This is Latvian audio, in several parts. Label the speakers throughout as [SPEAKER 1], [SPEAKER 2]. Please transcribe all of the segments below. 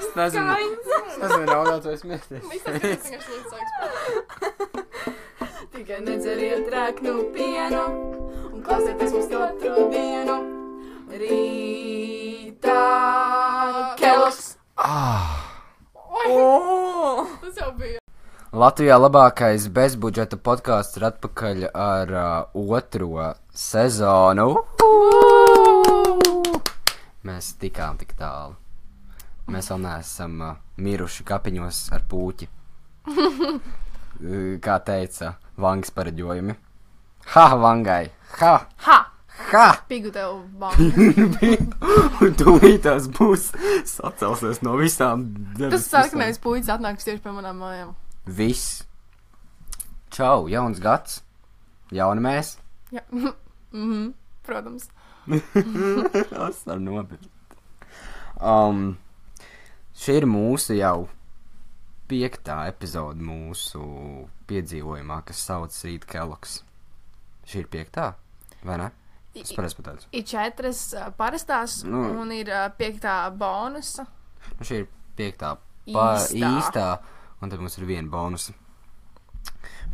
[SPEAKER 1] Es nezinu, raudāt vai smieties.
[SPEAKER 2] Tikai nedzeriet rēknu pienu un klausieties mums katru dienu. Rītā Keloks. Tas jau bija.
[SPEAKER 1] Latvijā labākais bezbudžeta podkāsts ir atpakaļ ar otro sezonu. Mēs tikām tik tālu. Mēs vēl neesam miruši kapiņos ar pūķi. Kā teica Vangas pareģojumi. Ha, Vangai! Ha!
[SPEAKER 2] Ha!
[SPEAKER 1] Ha!
[SPEAKER 2] Pigu tev Vanga.
[SPEAKER 1] Un tūlītās būs sacelsies no visām debes.
[SPEAKER 2] Tas sarkanais puicis atnāks tieši pie manām mājām.
[SPEAKER 1] Viss. Čau, jauns gads. Jauni mēs.
[SPEAKER 2] Jā. Protams.
[SPEAKER 1] Tas var nopirkt. Šī ir mūsu jau 5. epizode mūsu piedzīvojumā, kas sauc Rīt Keloks. Šī ir 5. vai ne? Es pareizi pateicu.
[SPEAKER 2] Ir 4 parastās un ir 5. bonusa.
[SPEAKER 1] Šī ir 5. īstā, un tad mums ir 1 bonusa.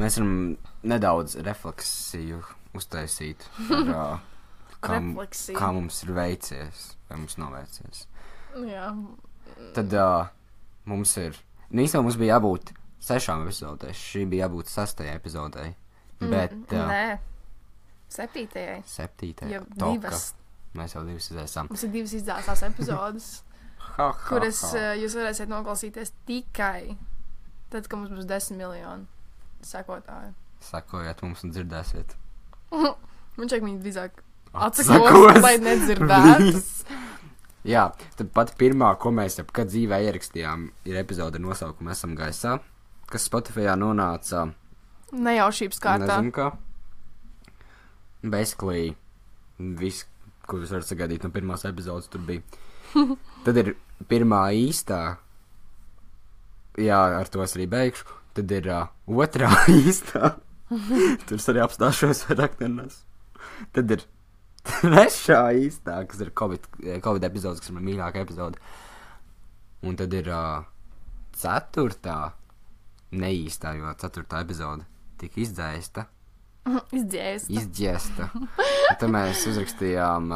[SPEAKER 1] Mēs varam nedaudz refleksiju uztaisīt par kā mums ir veicies, vai mums nav veicies.
[SPEAKER 2] Jā.
[SPEAKER 1] Tad mums ir, īstenībā mums bija jābūt 6 epizodēs, šī bija jābūt 6. epizodei, bet...
[SPEAKER 2] Nē, 7.
[SPEAKER 1] 7.
[SPEAKER 2] Jau
[SPEAKER 1] toka.
[SPEAKER 2] 2.
[SPEAKER 1] Mēs jau 2 izēsām.
[SPEAKER 2] Mums ir 2 izdzēsās epizodes, kuras jūs varēsiet noklausīties tikai tad, kad mums būs 10 miljoni sekotāju.
[SPEAKER 1] Sekojiet mums un dzirdēsiet.
[SPEAKER 2] Man šeit viņi drīzāk atsakos, lai nedzirdētu.
[SPEAKER 1] Jā, tad pat pirmā, ko mēs jebkad dzīvē ierakstījām, ir epizode ar nosaukumu Esam gaisā, kas Spotifyā nonāca...
[SPEAKER 2] Nejaušības kārtā.
[SPEAKER 1] Nezinu kā. Basically, viss, ko jūs varat sagaidīt no pirmās epizodes, tur bija. Tad ir pirmā īstā, jā, ar to es arī beigšu, tad ir otrā īstā, tur es arī apstāšos vairāk nenes. Tad ir 3. īstā, kas ir Covid epizodes, kas ir man mīļākā epizode. Un tad ir 4. neīstā, jo 4. epizode tika izdzēsta. Izdziesta. Un tad mēs uzrakstījām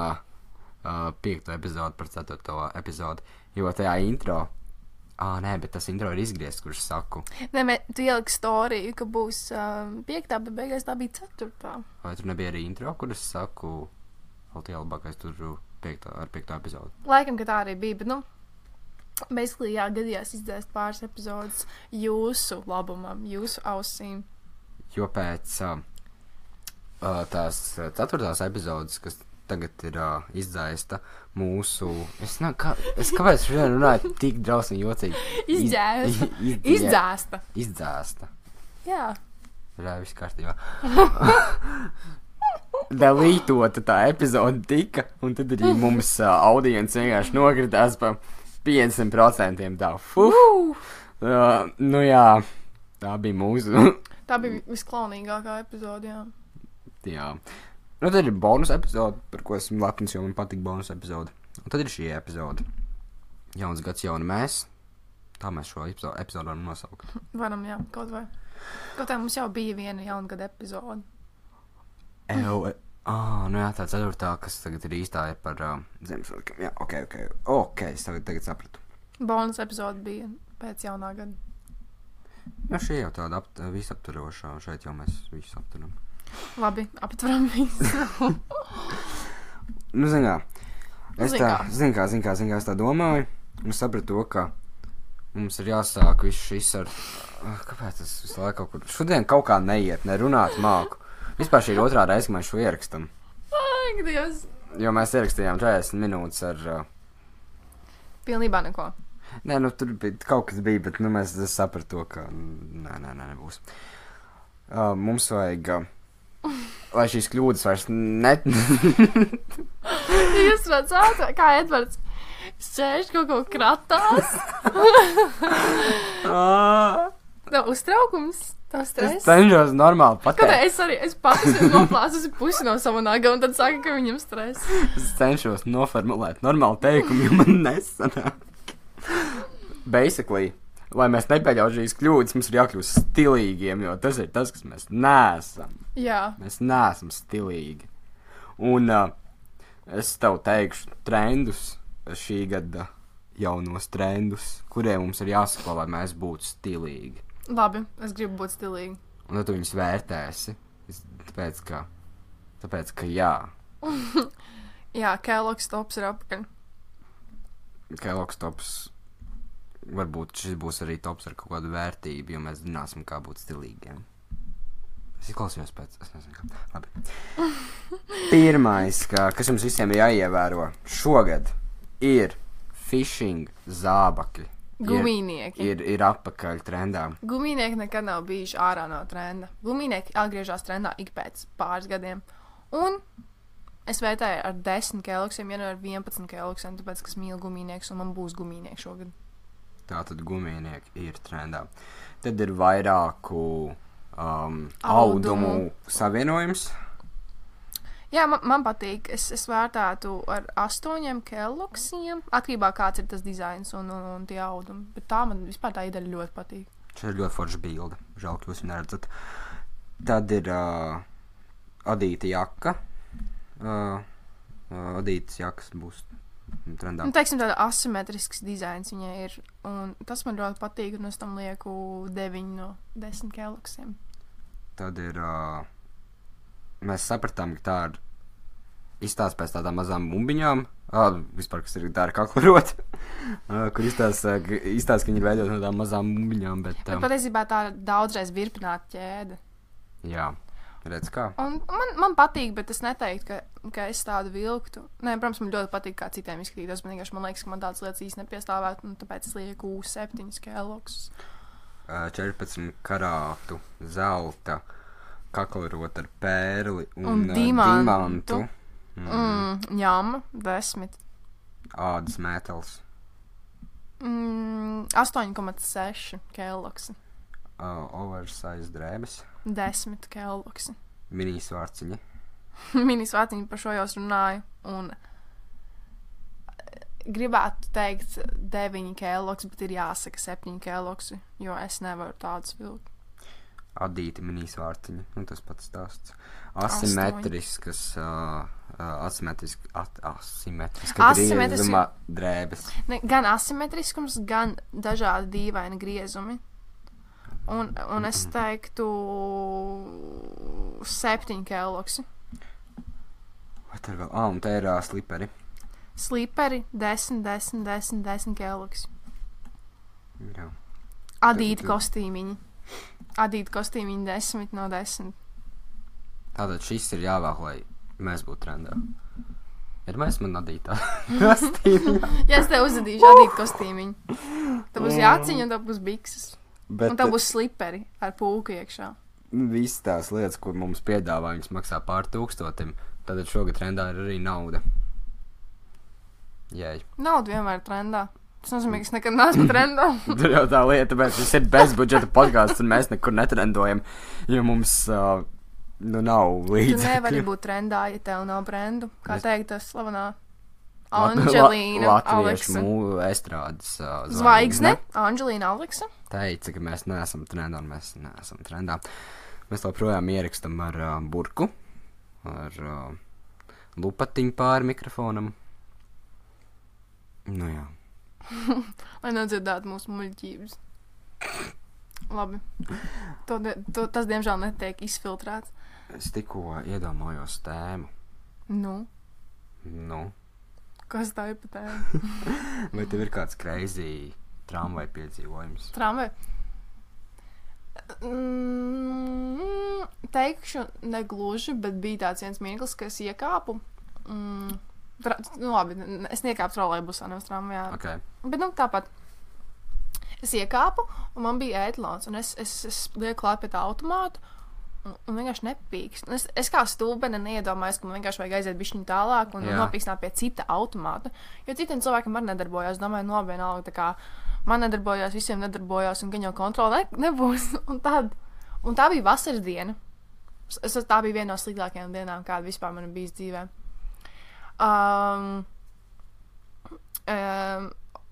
[SPEAKER 1] 5. epizodi par 4. epizodi, jo tajā intro... nē, bet tas intro ir izgriezts, kurš saku.
[SPEAKER 2] Nē, tu ieliki storiju, ka būs 5. bet beigās tā bija 4.
[SPEAKER 1] Vai tur nebija arī intro, kurš saku... Latvijā labākais tur ar 5. epizodi.
[SPEAKER 2] Laikam, ka tā arī bija, bet, basically, jā, gadījās izdzēst pāris epizodes jūsu labumam, jūsu ausīm.
[SPEAKER 1] Jo pēc tās 4. epizodes, kas tagad ir izdzēsta mūsu... Kāpēc šodien runāju tik drausmīgi jocīgi? Izdzēsta. Jā. Jā, viss kārtībā. Delītota tā epizode tika, un tad arī mums audience vienkārši nokritās pa 500% tā. Nu jā, tā bija mūsu.
[SPEAKER 2] Tā bija visklaunīgākā epizode, jā.
[SPEAKER 1] Jā. Nu tad ir bonus epizode, par ko esmu lepns, jo man patīk bonus epizode. Un tad ir šī epizode. Jauns gads, jauni mēs. Tā mēs šo epizodu varam nosaukt.
[SPEAKER 2] Varam, jā, kaut vai. Kaut tā mums jau bija viena jaungada epizode.
[SPEAKER 1] Nu jā, tā 4. kas tagad ir īstā ir par Ziemassvētkiem. Jā, ok, es tagad sapratu.
[SPEAKER 2] Bonus epizode bija pēc jaunā gada.
[SPEAKER 1] Jā, šī jau tāda visaptverošā, šeit jau mēs visu aptveram.
[SPEAKER 2] Labi, aptveram visu.
[SPEAKER 1] Nu, zin kā, es tā domāju, un sapratu to, ka mums ir jāsāk viss šis ar... Kāpēc tas visu laiku kaut kur... Šodien kaut kā neiet, nerunāt māku. Vispār šī ir 2. reize, ka mēs šo ierakstam.
[SPEAKER 2] Ak, Dievs.
[SPEAKER 1] Jo mēs ierakstījām 40 minūtes ar...
[SPEAKER 2] Pilnībā neko.
[SPEAKER 1] Nē, nu tur bija, kaut kas bija, bet nu mēs sapratu to, ka... Nē, nebūs. Mums vajag... lai šīs kļūdas vairs
[SPEAKER 2] Jūs redzāt, kā Edvards šķērš kaut ko kratās? Nav uztraukums? Tas stress?
[SPEAKER 1] Es cenšos normāli pateikt.
[SPEAKER 2] Kāpēc es pats noplāsusi pusi no sava naga un tad saka, ka viņam stress.
[SPEAKER 1] Es cenšos noformulēt normālu teikumu, jo man nesanāk. basically, lai mēs nepieļautu šīs kļūdas, mums ir jākļūst stilīgiem, jo tas ir tas, kas mēs neesam.
[SPEAKER 2] Jā.
[SPEAKER 1] Mēs neesam stilīgi. Un es tev teikšu trendus, šī gada jaunos trendus, kuriem mums ir jāsako, lai mēs būtu stilīgi.
[SPEAKER 2] Labi, es gribu būt stilīgi.
[SPEAKER 1] Un tad tu viņus vērtēsi, tāpēc, ka jā.
[SPEAKER 2] Jā, Kellogg's tops ir apakaļ.
[SPEAKER 1] Kellogg's tops, varbūt šis būs arī tops ar kaut kādu vērtību, jo mēs zināsim, kā būt stilīgiem. Es klausījos pēc, es nezinu, kā. Labi. Pirmais, kas jums visiem ir jāievēro šogad, ir fishing zābakļi.
[SPEAKER 2] Gumīnieki.
[SPEAKER 1] Ir atpakaļ trendā.
[SPEAKER 2] Gumīnieki nekad nav bijuši ārā no trenda. Gumīnieki atgriežas trendā ik pēc pāris gadiem. Un es vērtēju ar 10 Kellogg'iem, ja ne ar 11 Kellogg'iem, tāpēc, ka es mīlu gumīnieks un man būs gumīnieki šogad.
[SPEAKER 1] Tātad gumīnieki ir trendā. Tad ir vairāku audumu savienojums.
[SPEAKER 2] Jā, man patīk. Es vērtētu ar 8 Kellogg'iem. Atkarībā kāds ir tas dizains un tie audumi. Bet tā man vispār tā ideja ļoti patīk.
[SPEAKER 1] Šeit ir ļoti forša bilde. Žēl, ka jūs viņu neredzat. Tad ir adīta jaka. Adītas jakas būs trendā.
[SPEAKER 2] Teiksim, tāda asimetrisks dizains viņai ir. Un tas man ļoti patīk, un es tam lieku 9 no 10 Kellogg'iem.
[SPEAKER 1] Tad ir... mēs sapratām, ka tā ir izstāsta pēc tādām mazām bumbiņām. Vispār, kas ir tā ar kaklarot. Kur izstāsta, ka viņi ir veidot no tādām mazām bumbiņām. Bet
[SPEAKER 2] patiesībā tā ir daudzreiz virpināta ķēde.
[SPEAKER 1] Jā. Redz kā.
[SPEAKER 2] Un man patīk, bet es neteiktu, ka es tādu vilktu. Nē, protams, man ļoti patīk, kā citiem izskatītos, bet vienkārši man liekas, ka man tādas lietas īsti nepiestāvētu, un tāpēc es lieku 7 Kellogg's.
[SPEAKER 1] 14 karātu zelta kaklarot ar pērli
[SPEAKER 2] un dimantu. Ņama, 10.
[SPEAKER 1] Ādas mētels.
[SPEAKER 2] 8,6 Kellogg's.
[SPEAKER 1] Oversize drēbes.
[SPEAKER 2] 10 Kellogg's.
[SPEAKER 1] Mini svārciņi.
[SPEAKER 2] Mini svārciņi, par šo jau runāju. Un gribētu teikt 9 Kellogg's, bet ir jāsaka 7 Kellogg's, jo es nevaru tādus vilkt.
[SPEAKER 1] Adīti mini svārciņi. Nu, tas pats stāsts. Asimetriskas griezuma drēbes.
[SPEAKER 2] Gan asimetriskums, gan dažādi dīvaini griezumi. Un es teiktu 7 Kellogg's.
[SPEAKER 1] Vai tā ir vēl? Un tā ir sliperi.
[SPEAKER 2] Sliperi 10 Kellogg's.
[SPEAKER 1] Jā.
[SPEAKER 2] Adīti kostīmiņi. Adīti kostīmiņi 10 no 10.
[SPEAKER 1] Tātad šis ir jāvēl, lai mēs būtu trendā. Ir mēs man adītā kostīmiņa.
[SPEAKER 2] Ja es tev uzadīšu adīti kostīmiņu. Tad būs jāciņa un tad būs bikses. Un tad būs sliperi ar pulku iekšā.
[SPEAKER 1] Visas tās lietas, ko mums piedāvā, viņas maksā pār 1000. Tātad šogad trendā ir arī nauda. Jēj. Nauda
[SPEAKER 2] vienmēr ir trendā. Tas nozīmē, ka es nekad neesmu trendā.
[SPEAKER 1] Tur jau tā lieta, bet šis ir bezbudžeta podcasts, un mēs nekur netrendojam, jo mums nav līdzekļu.
[SPEAKER 2] Tu nevari būt trendā, ja tev nav brendu. Kā teikt, tas slavenā Anģelīna Aleksa.
[SPEAKER 1] Latviešu estrādes
[SPEAKER 2] zvaigzne. Anģelīna Aleksa.
[SPEAKER 1] Teica, ka mēs neesam trendā, un mēs neesam trendā. Mēs joprojām ierakstam ar burku, ar lupatiņu pāri mikrofonam. Nu jā.
[SPEAKER 2] Lai nedzirdētu mūsu muļķības. Labi. Tas, diemžēl, netiek izfiltrēts.
[SPEAKER 1] Es tikko iedomājos tēmu.
[SPEAKER 2] Nu? Kas tā ir pa tēmu?
[SPEAKER 1] Vai tev ir kāds crazy tramvaju piedzīvojums?
[SPEAKER 2] Tramvaju? Teikšu negluži, bet bija tāds viens mirklis, ka es iekāpu. Labi, es niekāpu trolejbusā, nevis tramvajā.
[SPEAKER 1] Okay.
[SPEAKER 2] Bet tāpat. Es iekāpu, un man bija ētlons, un es lieku klāt pie tā automātu, un vienkārši nepīkst. Es kā stulbene neiedomājos, ka man vienkārši vajag aiziet bišķiņu tālāk un nopīkstināt pie cita automāta. Jo citiem cilvēkiem arī nedarbojās. Domāju, vienalga, tā kā man nedarbojās, visiem nedarbojās, un gan jau kontrola nebūs. Un tā bija vasaras diena. Tā bija viena no sliktākajām dienām, kāda vispār man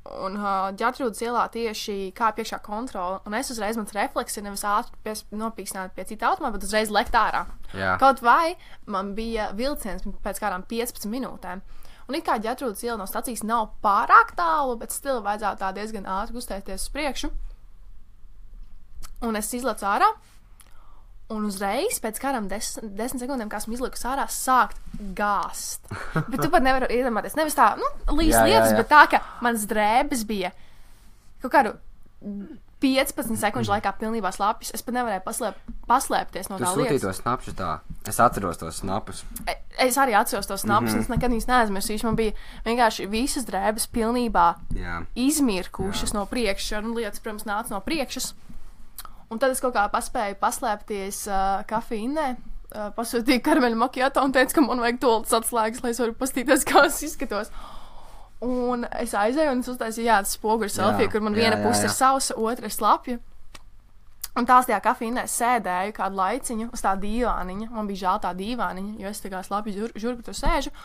[SPEAKER 2] Un Ģertrūdas ielā tieši kā piekšā kontrola. Un es uzreiz, mans refleks ir nevis ātri nopīkstināt pie cita automāta, bet uzreiz lekt ārā.
[SPEAKER 1] Jā.
[SPEAKER 2] Kaut vai man bija vilciens pēc kādām 15 minūtēm. Un it kā Ģertrūdas iela no stacijas nav pārāk tālu, bet stila vajadzētu tā diezgan ātri kustēties uz priekšu. Un es izlecu ārā. Un uzreiz, pēc kādām 10 sekundēm, kā esmu izlikusi ārā, sākt gāzt. Bet tu pat nevari iedomāties. Nevis tā, līs lietas, bet tā, ka manas drēbes bija kaut kādu 15 sekundžu laikā pilnībā slapjas. Es pat nevarēju paslēpties no tā lietas.
[SPEAKER 1] Tu sūtīji tos snapšus tā. Es atceros tos snapus.
[SPEAKER 2] Es arī atceros tos snapus, un es nekad viņus neaizmirsīšu. Man bija vienkārši visas drēbes pilnībā izmirkušas no priekšas, un lietas, protams, nāca no priekšas. Un tad es kaut kā paspēju paslēpties kafīnē, pasūtīju karameļu makiato un teicu, ka man vajag toltas atslēgas, lai es varu pastīties, kā es izskatos. Un es aizēju un es uztaisīju, tas spoguļu selfiju, kur man viena puse ir sausa, otra ir slapja. Un tās tajā kafīnē sēdēju kādu laiciņu uz tā dīvāniņa. Man bija žēl tā dīvāniņa, jo es tā kā slapju žurku tur sēžu.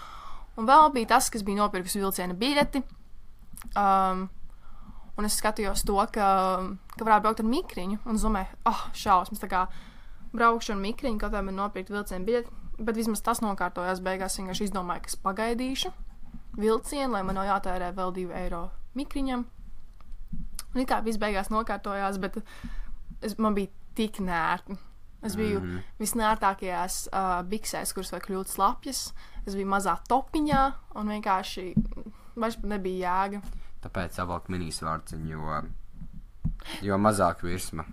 [SPEAKER 2] Un vēl bija tas, kas bija nopirkus vilciena biļeti. Un es skatījos to, ka varētu braukt ar mikriņu, un domāju, šausmas, tā kā braukšu ar mikriņu, kaut kā man nopirkt vilcienu biļeti, bet vismaz tas nokārtojās beigās, vienkārši izdomāju, ka es pagaidīšu vilcienu, lai man nav jātērē vēl 2 eiro mikriņam. Un it kā viss beigās nokārtojās, bet man bija tik nērti. Es biju visnērtākajās biksēs, kuras var kļūt slapjas, es biju mazā topiņā, un vienkārši vairs nebija jēga.
[SPEAKER 1] Tāpēc savalk minisvārciņu, jo mazāk virsma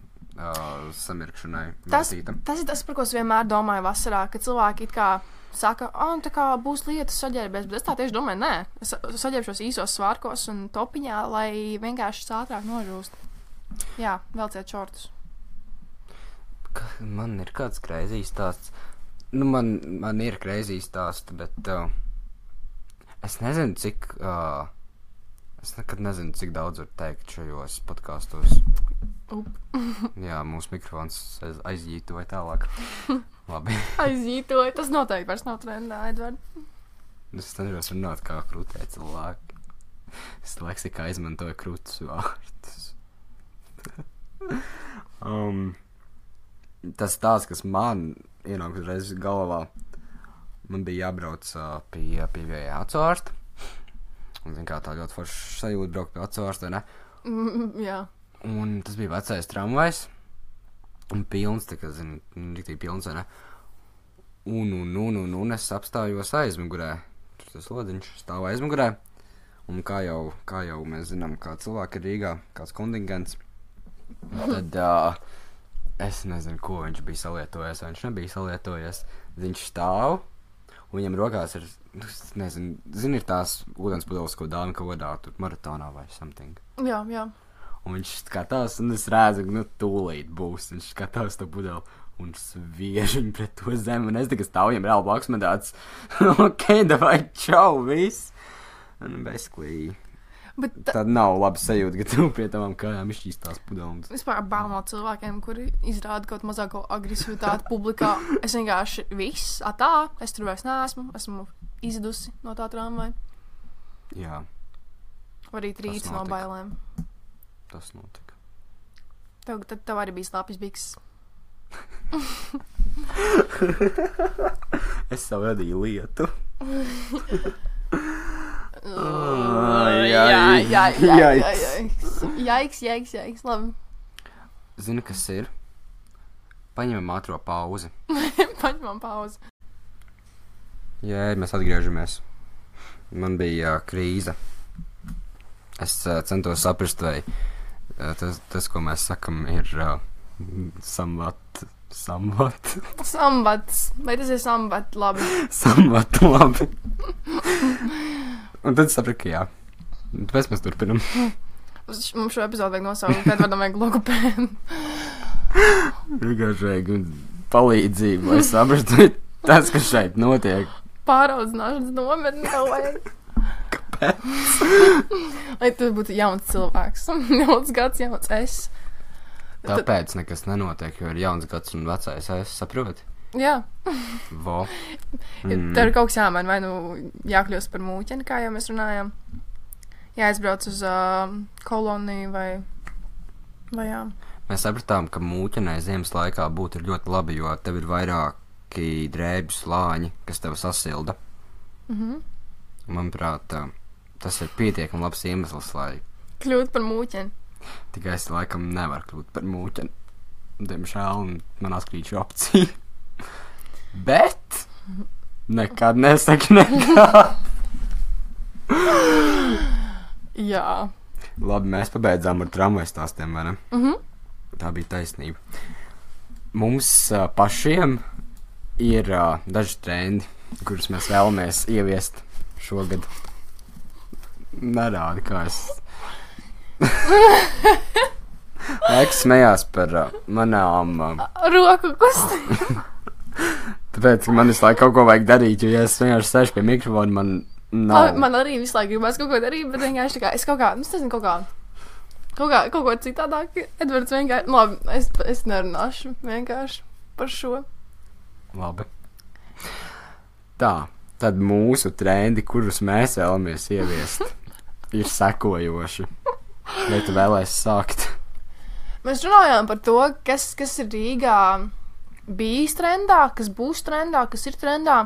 [SPEAKER 1] samirkšanai veltīta.
[SPEAKER 2] Tas ir tas, par ko es vienmēr domāju vasarā, ka cilvēki it kā saka, tā kā būs lietas saģērbies, bet es tā tieši domāju, nē. Es saģērbšos īsos svārkos un topiņā, lai vienkārši ātrāk nožūst. Jā, velciet šortus.
[SPEAKER 1] Man ir kāds kreizīs stāsts. Man ir kreizīs stāsts, bet es nezinu, cik... Es nekad nezinu, cik daudz var teikt šajos podkastos. Jā, mūsu mikrofons aizjītoja tālāk. Labi.
[SPEAKER 2] Aizjītoja? Tas noteikti vairs nav trendā, Edvard.
[SPEAKER 1] Es cenšos runāt kā krūtē cilvēki. Es leksikā izmantoju krūtus vārdus. Tas tās, kas man ienāk uzreiz galvā, man bija jābrauc pie ācārsta. Un, kā tā ļoti forša sajūta braukt pie atsvārsta, ne?
[SPEAKER 2] Jā.
[SPEAKER 1] Un tas bija vecais tramvajs. Un pilns, tā kā, riktīgi pilns, ne? Un es apstājos aizmugurē. Tur tas lodziņš stāv aizmugurē. Un kā jau mēs zinām, kā cilvēki ir Rīgā, kāds kontingents, tad es nezinu, ko viņš bija salietojies, vai viņš nebija salietojies. Viņš stāv, un viņam rokās ir... Nezinu, ir tās ūdens pudeles, ko dāvina kaut kādā tur maratonā vai something.
[SPEAKER 2] Jā.
[SPEAKER 1] Un viņš skatās, un es redzu, tūlīt būs. Viņš skatās to pudeli un sviež viņu pret to zemi. Un es tikai stāvu viņam reāli blakus, man tāds, davai, čau, viss. Un basically, tad nav labi sajūta, ka tu pie tavām kājām izšķīst tās pudeles.
[SPEAKER 2] Vispār bail no cilvēkiem, kuri izrāda kaut mazāko agresivitāti publikā. Es vienkārši viss, es tur vairs neesmu izdusi no tā tramvaja.
[SPEAKER 1] Jā.
[SPEAKER 2] Vai arī trīc no bailēm.
[SPEAKER 1] Tas notika.
[SPEAKER 2] Tev arī bija slapjas bikses.
[SPEAKER 1] Es savu radīju lietu.
[SPEAKER 2] Jaiks, labi.
[SPEAKER 1] Zini, kas ir? Paņemam ātro pauzi.
[SPEAKER 2] Paņemam pauzi.
[SPEAKER 1] Jā, mēs atgriežamies. Man bija krīze. Es centos saprast, vai tas, ko mēs sakam, ir samvat.
[SPEAKER 2] Sambats. Vai tas ir sambat labi?
[SPEAKER 1] Sambat labi. Un tad sapratu, ka jā. Tāpēc mēs turpinam.
[SPEAKER 2] Mums šo epizodu vajag nosaukt, kad varam vajag logopēdu.
[SPEAKER 1] Vienkārši vajag palīdzību, lai saprastu tas, kas šeit notiek.
[SPEAKER 2] Pāraudzināšanas nometni tev vajag.
[SPEAKER 1] Kāpēc?
[SPEAKER 2] Lai tu būtu jauns cilvēks. Jauns gads, jauns es.
[SPEAKER 1] Tāpēc nekas nenotiek, jo ir jauns gads un vecais es, saproti?
[SPEAKER 2] Jā.
[SPEAKER 1] Vo.
[SPEAKER 2] Tev ir kaut kas jāmaina, vai jākļūst par mūķeni, kā jau mēs runājām. jāizbrauc uz koloniju vai jā.
[SPEAKER 1] Mēs sapratām, ka mūķenai ziemas laikā būtu ļoti labi, jo tev ir vairāki drēbju slāņi, kas tev sasilda. Manuprāt, tas ir pietiekami labs iemesls, lai
[SPEAKER 2] Kļūt par mūķeni.
[SPEAKER 1] tikai es laikam nevaru kļūt par mūķeni. Diemžēl man atkrīt šī opcija. Bet nekad nesaki nekā.
[SPEAKER 2] Jā.
[SPEAKER 1] Labi, mēs pabeidzām ar tramvaju stāstiem, vai ne? Tā bija taisnība. Mums pašiem ir daži trendi, kurus mēs vēlamies ieviest šogad. Nerādi, kā es... Laiks smējās par manām...
[SPEAKER 2] Roku kustībām.
[SPEAKER 1] Tāpēc, ka man visu laiku kaut ko vajag darīt, jo, ja es vienkārši sēžu pie mikrofona, man nav...
[SPEAKER 2] Man arī visu laiku gribas kaut ko darīt, bet vienkārši tā kā es kaut kā, es nezinu, kaut ko citādāk. Edvards vienkārši, labi, es nerunāšu vienkārši par šo.
[SPEAKER 1] Labi. Tā, tad mūsu trendi, kurus mēs vēlamies ieviest, ir sekojoši. Vai tu vēlēsi sākt?
[SPEAKER 2] Mēs runājām par to, kas ir Rīgā bijis trendā, kas būs trendā, kas ir trendā.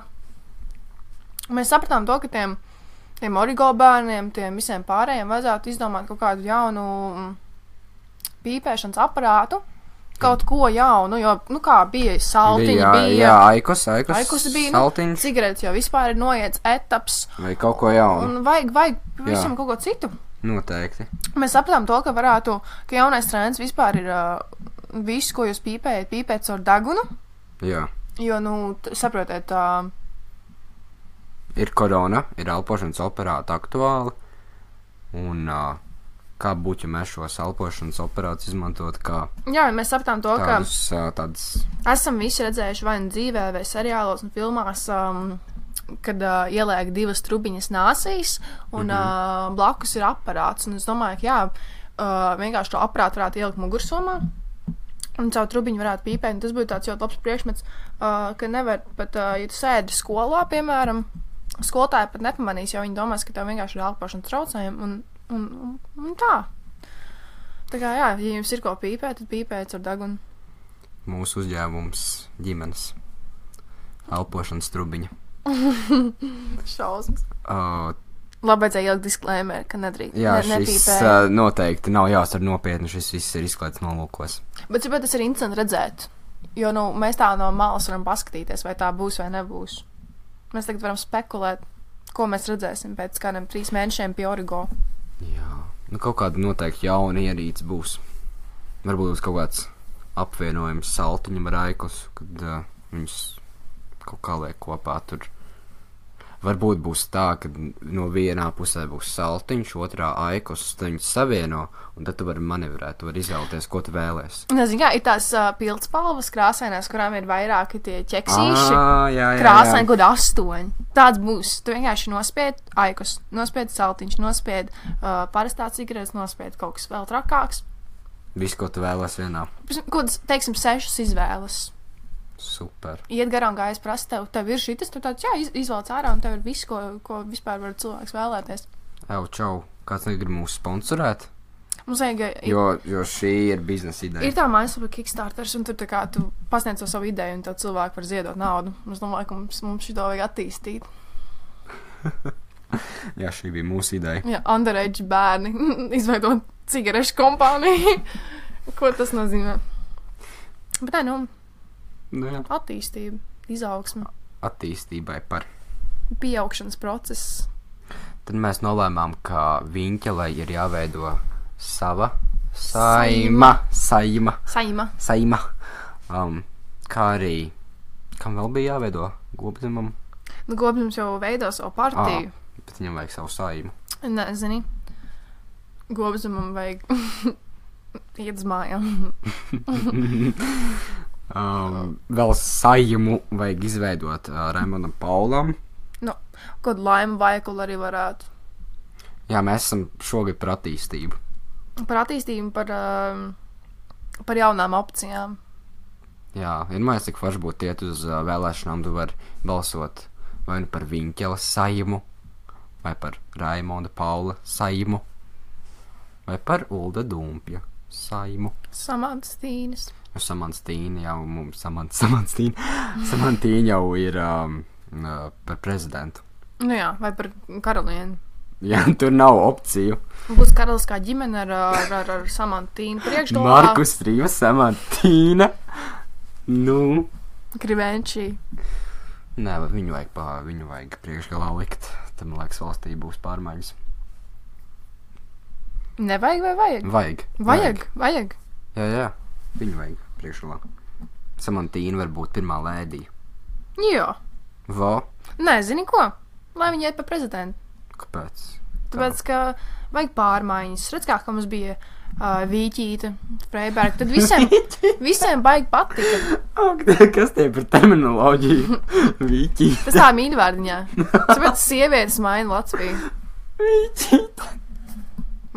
[SPEAKER 2] Mēs sapratām to, ka tiem origo bērniem, tiem visiem pārējiem vajadzētu izdomāt kaut kādu jaunu pīpēšanas aparātu, kaut ko jaunu, jo, kā bija saltiņi,
[SPEAKER 1] Jā, aikos
[SPEAKER 2] bija,
[SPEAKER 1] saltiņš.
[SPEAKER 2] Cigaretes jau vispār ir noiets etaps.
[SPEAKER 1] Vai kaut ko jaunu.
[SPEAKER 2] Un vajag visam kaut ko citu.
[SPEAKER 1] Noteikti.
[SPEAKER 2] Mēs sapratām to, ka jaunais trends vispār ir visu, ko jūs pīpēt caur degunu.
[SPEAKER 1] Jā.
[SPEAKER 2] Jo, saprotiet,
[SPEAKER 1] ir korona, ir elpošanas aparāti aktuāli, un kā būtu, ja mēs šos elpošanas aparātus izmantot kā
[SPEAKER 2] jā, mēs sapratām to,
[SPEAKER 1] tādas...
[SPEAKER 2] Esam visi redzējuši vai nu dzīvē, vai seriālos un filmās, kad ieliek divas trubiņas nāsīs, un blakus ir aparāts. Un es domāju, ka vienkārši to aparātu varētu ielikt mugursomā, un caur trubiņu varētu pīpēt. Un tas būtu tāds ļoti labs priekšmets, ka nevar pat, ja tu sēdi skolā, piemēram, skolotāji pat nepamanīs, jo viņi domās, ka tev vienkārši ir elpošanas traucējumi, un tā. Tā kā, jā, ja jums ir ko pīpēt, tad pīpēt ar degunu.
[SPEAKER 1] Mūsu uzņēmums ģimenes elpošanas trubiņa.
[SPEAKER 2] Šausmas. Labi, vajadzēja ielikt disklēmeri, ka nedrīkst.
[SPEAKER 1] Jā, šis noteikti nav jāsver nopietni, šis viss ir izklaids nolūkos.
[SPEAKER 2] Bet tas ir interesanti redzēt, jo mēs tā no malas varam paskatīties, vai tā būs vai nebūs. Mēs tagad varam spekulēt, ko mēs redzēsim pēc kādiem 3 mēnešiem pie Origo.
[SPEAKER 1] Jā, kaut kāda noteikti jauna ierīce būs. Varbūt būs kaut kāds apvienojums saltiņam ar aikus, kad viņus kaut kā liek kopā tur. Varbūt būs tā, ka no vienā pusē būs saltiņš, otrā aikus, tad viņus savieno, un tad tu vari manevrēt, tu vari izvēlēties, ko tu vēlēsi.
[SPEAKER 2] Nezinu, ir tās pildspalvas krāsainās, kurām ir vairāki tie ķeksīši.
[SPEAKER 1] Jā.
[SPEAKER 2] Krāsaini, kaut 8. Tāds būs. Tu vienkārši nospied aikus, nospied saltiņš, nospied parastā cigaretes, nospied kaut kas vēl trakāks.
[SPEAKER 1] Viss, ko tu vēlēsi vienā.
[SPEAKER 2] Kaut, teiksim, 6 izvēles.
[SPEAKER 1] Super.
[SPEAKER 2] Iet garām gājas prasa, tev ir šitas, tu tāds, jā, izvēlec ārā, un tev ir viss, ko vispār var cilvēks vēlēties.
[SPEAKER 1] Čau, kāds negrib mūs sponsorēt?
[SPEAKER 2] Mums vajag...
[SPEAKER 1] Jo šī ir biznesa ideja.
[SPEAKER 2] Ir tā mājaslapa Kickstarters, un tur tā kā tu pasniedz savu ideju, un tev cilvēki var ziedot naudu. Es domāju, ka mums šito vajag attīstīt.
[SPEAKER 1] Jā, šī bija mūsu ideja.
[SPEAKER 2] Jā, underage bērni izveidot cigarešu kompāniju. Ko tas nozīmē? Bet tā,
[SPEAKER 1] Jā.
[SPEAKER 2] Attīstība, izaugsme.
[SPEAKER 1] Attīstībai par
[SPEAKER 2] Pieaugšanas process.
[SPEAKER 1] Tad mēs nolēmām, ka Viņķelei ir jāveido sava saima. Kā arī, kam vēl bija jāveido Gobzemam?
[SPEAKER 2] Gobzems jau veido savu partiju.
[SPEAKER 1] Bet viņam vajag savu saimu.
[SPEAKER 2] Nē, zini, Gobzemam vajag iet uz mājām.
[SPEAKER 1] Vēl saimu vajag izveidot Raimondam Paulam.
[SPEAKER 2] Kaut laimu veikalu arī varētu.
[SPEAKER 1] Jā, mēs esam šogad par attīstību.
[SPEAKER 2] Par attīstību, par jaunām opcijām.
[SPEAKER 1] Jā, vienmēr cik forši būtu iet uz vēlēšanām, tu vari balsot vai nu par Viņķeles saimu, vai par Raimonda Paula Saimu, vai par Ulda Dumpja Saimu.
[SPEAKER 2] Samantīnas.
[SPEAKER 1] Samantīna jau mums, Samantīna jau ir par prezidentu.
[SPEAKER 2] Nu jā, vai par karalieni.
[SPEAKER 1] Jā, tur nav opciju.
[SPEAKER 2] Būs karaliskā ģimene ar Samantīnu priekšgalā.
[SPEAKER 1] Markus Rīva Samantīna. Nu.
[SPEAKER 2] Krivenčī.
[SPEAKER 1] Nē, viņu vajag priekšgalā likt. Tad, man liekas, valstī būs pārmaiņas.
[SPEAKER 2] Nevajag vai vajag? Vajag.
[SPEAKER 1] Jā. Viņu vajag priekšgalā. Samantīna var būt pirmā lēdija.
[SPEAKER 2] Jā.
[SPEAKER 1] Vo?
[SPEAKER 2] Nē, zini ko? Lai viņi iet pa prezidentu.
[SPEAKER 1] Kāpēc?
[SPEAKER 2] Tāpēc, ka vajag pārmaiņas. Redz, kā mums bija Vīķīta, Freiberga. Tad visiem baigi patika.
[SPEAKER 1] Kas tie par terminoloģiju? Vīķīta.
[SPEAKER 2] Tas tā mīļvārdiņā. Tāpēc sievietes maina Latviju.
[SPEAKER 1] Vīķīta.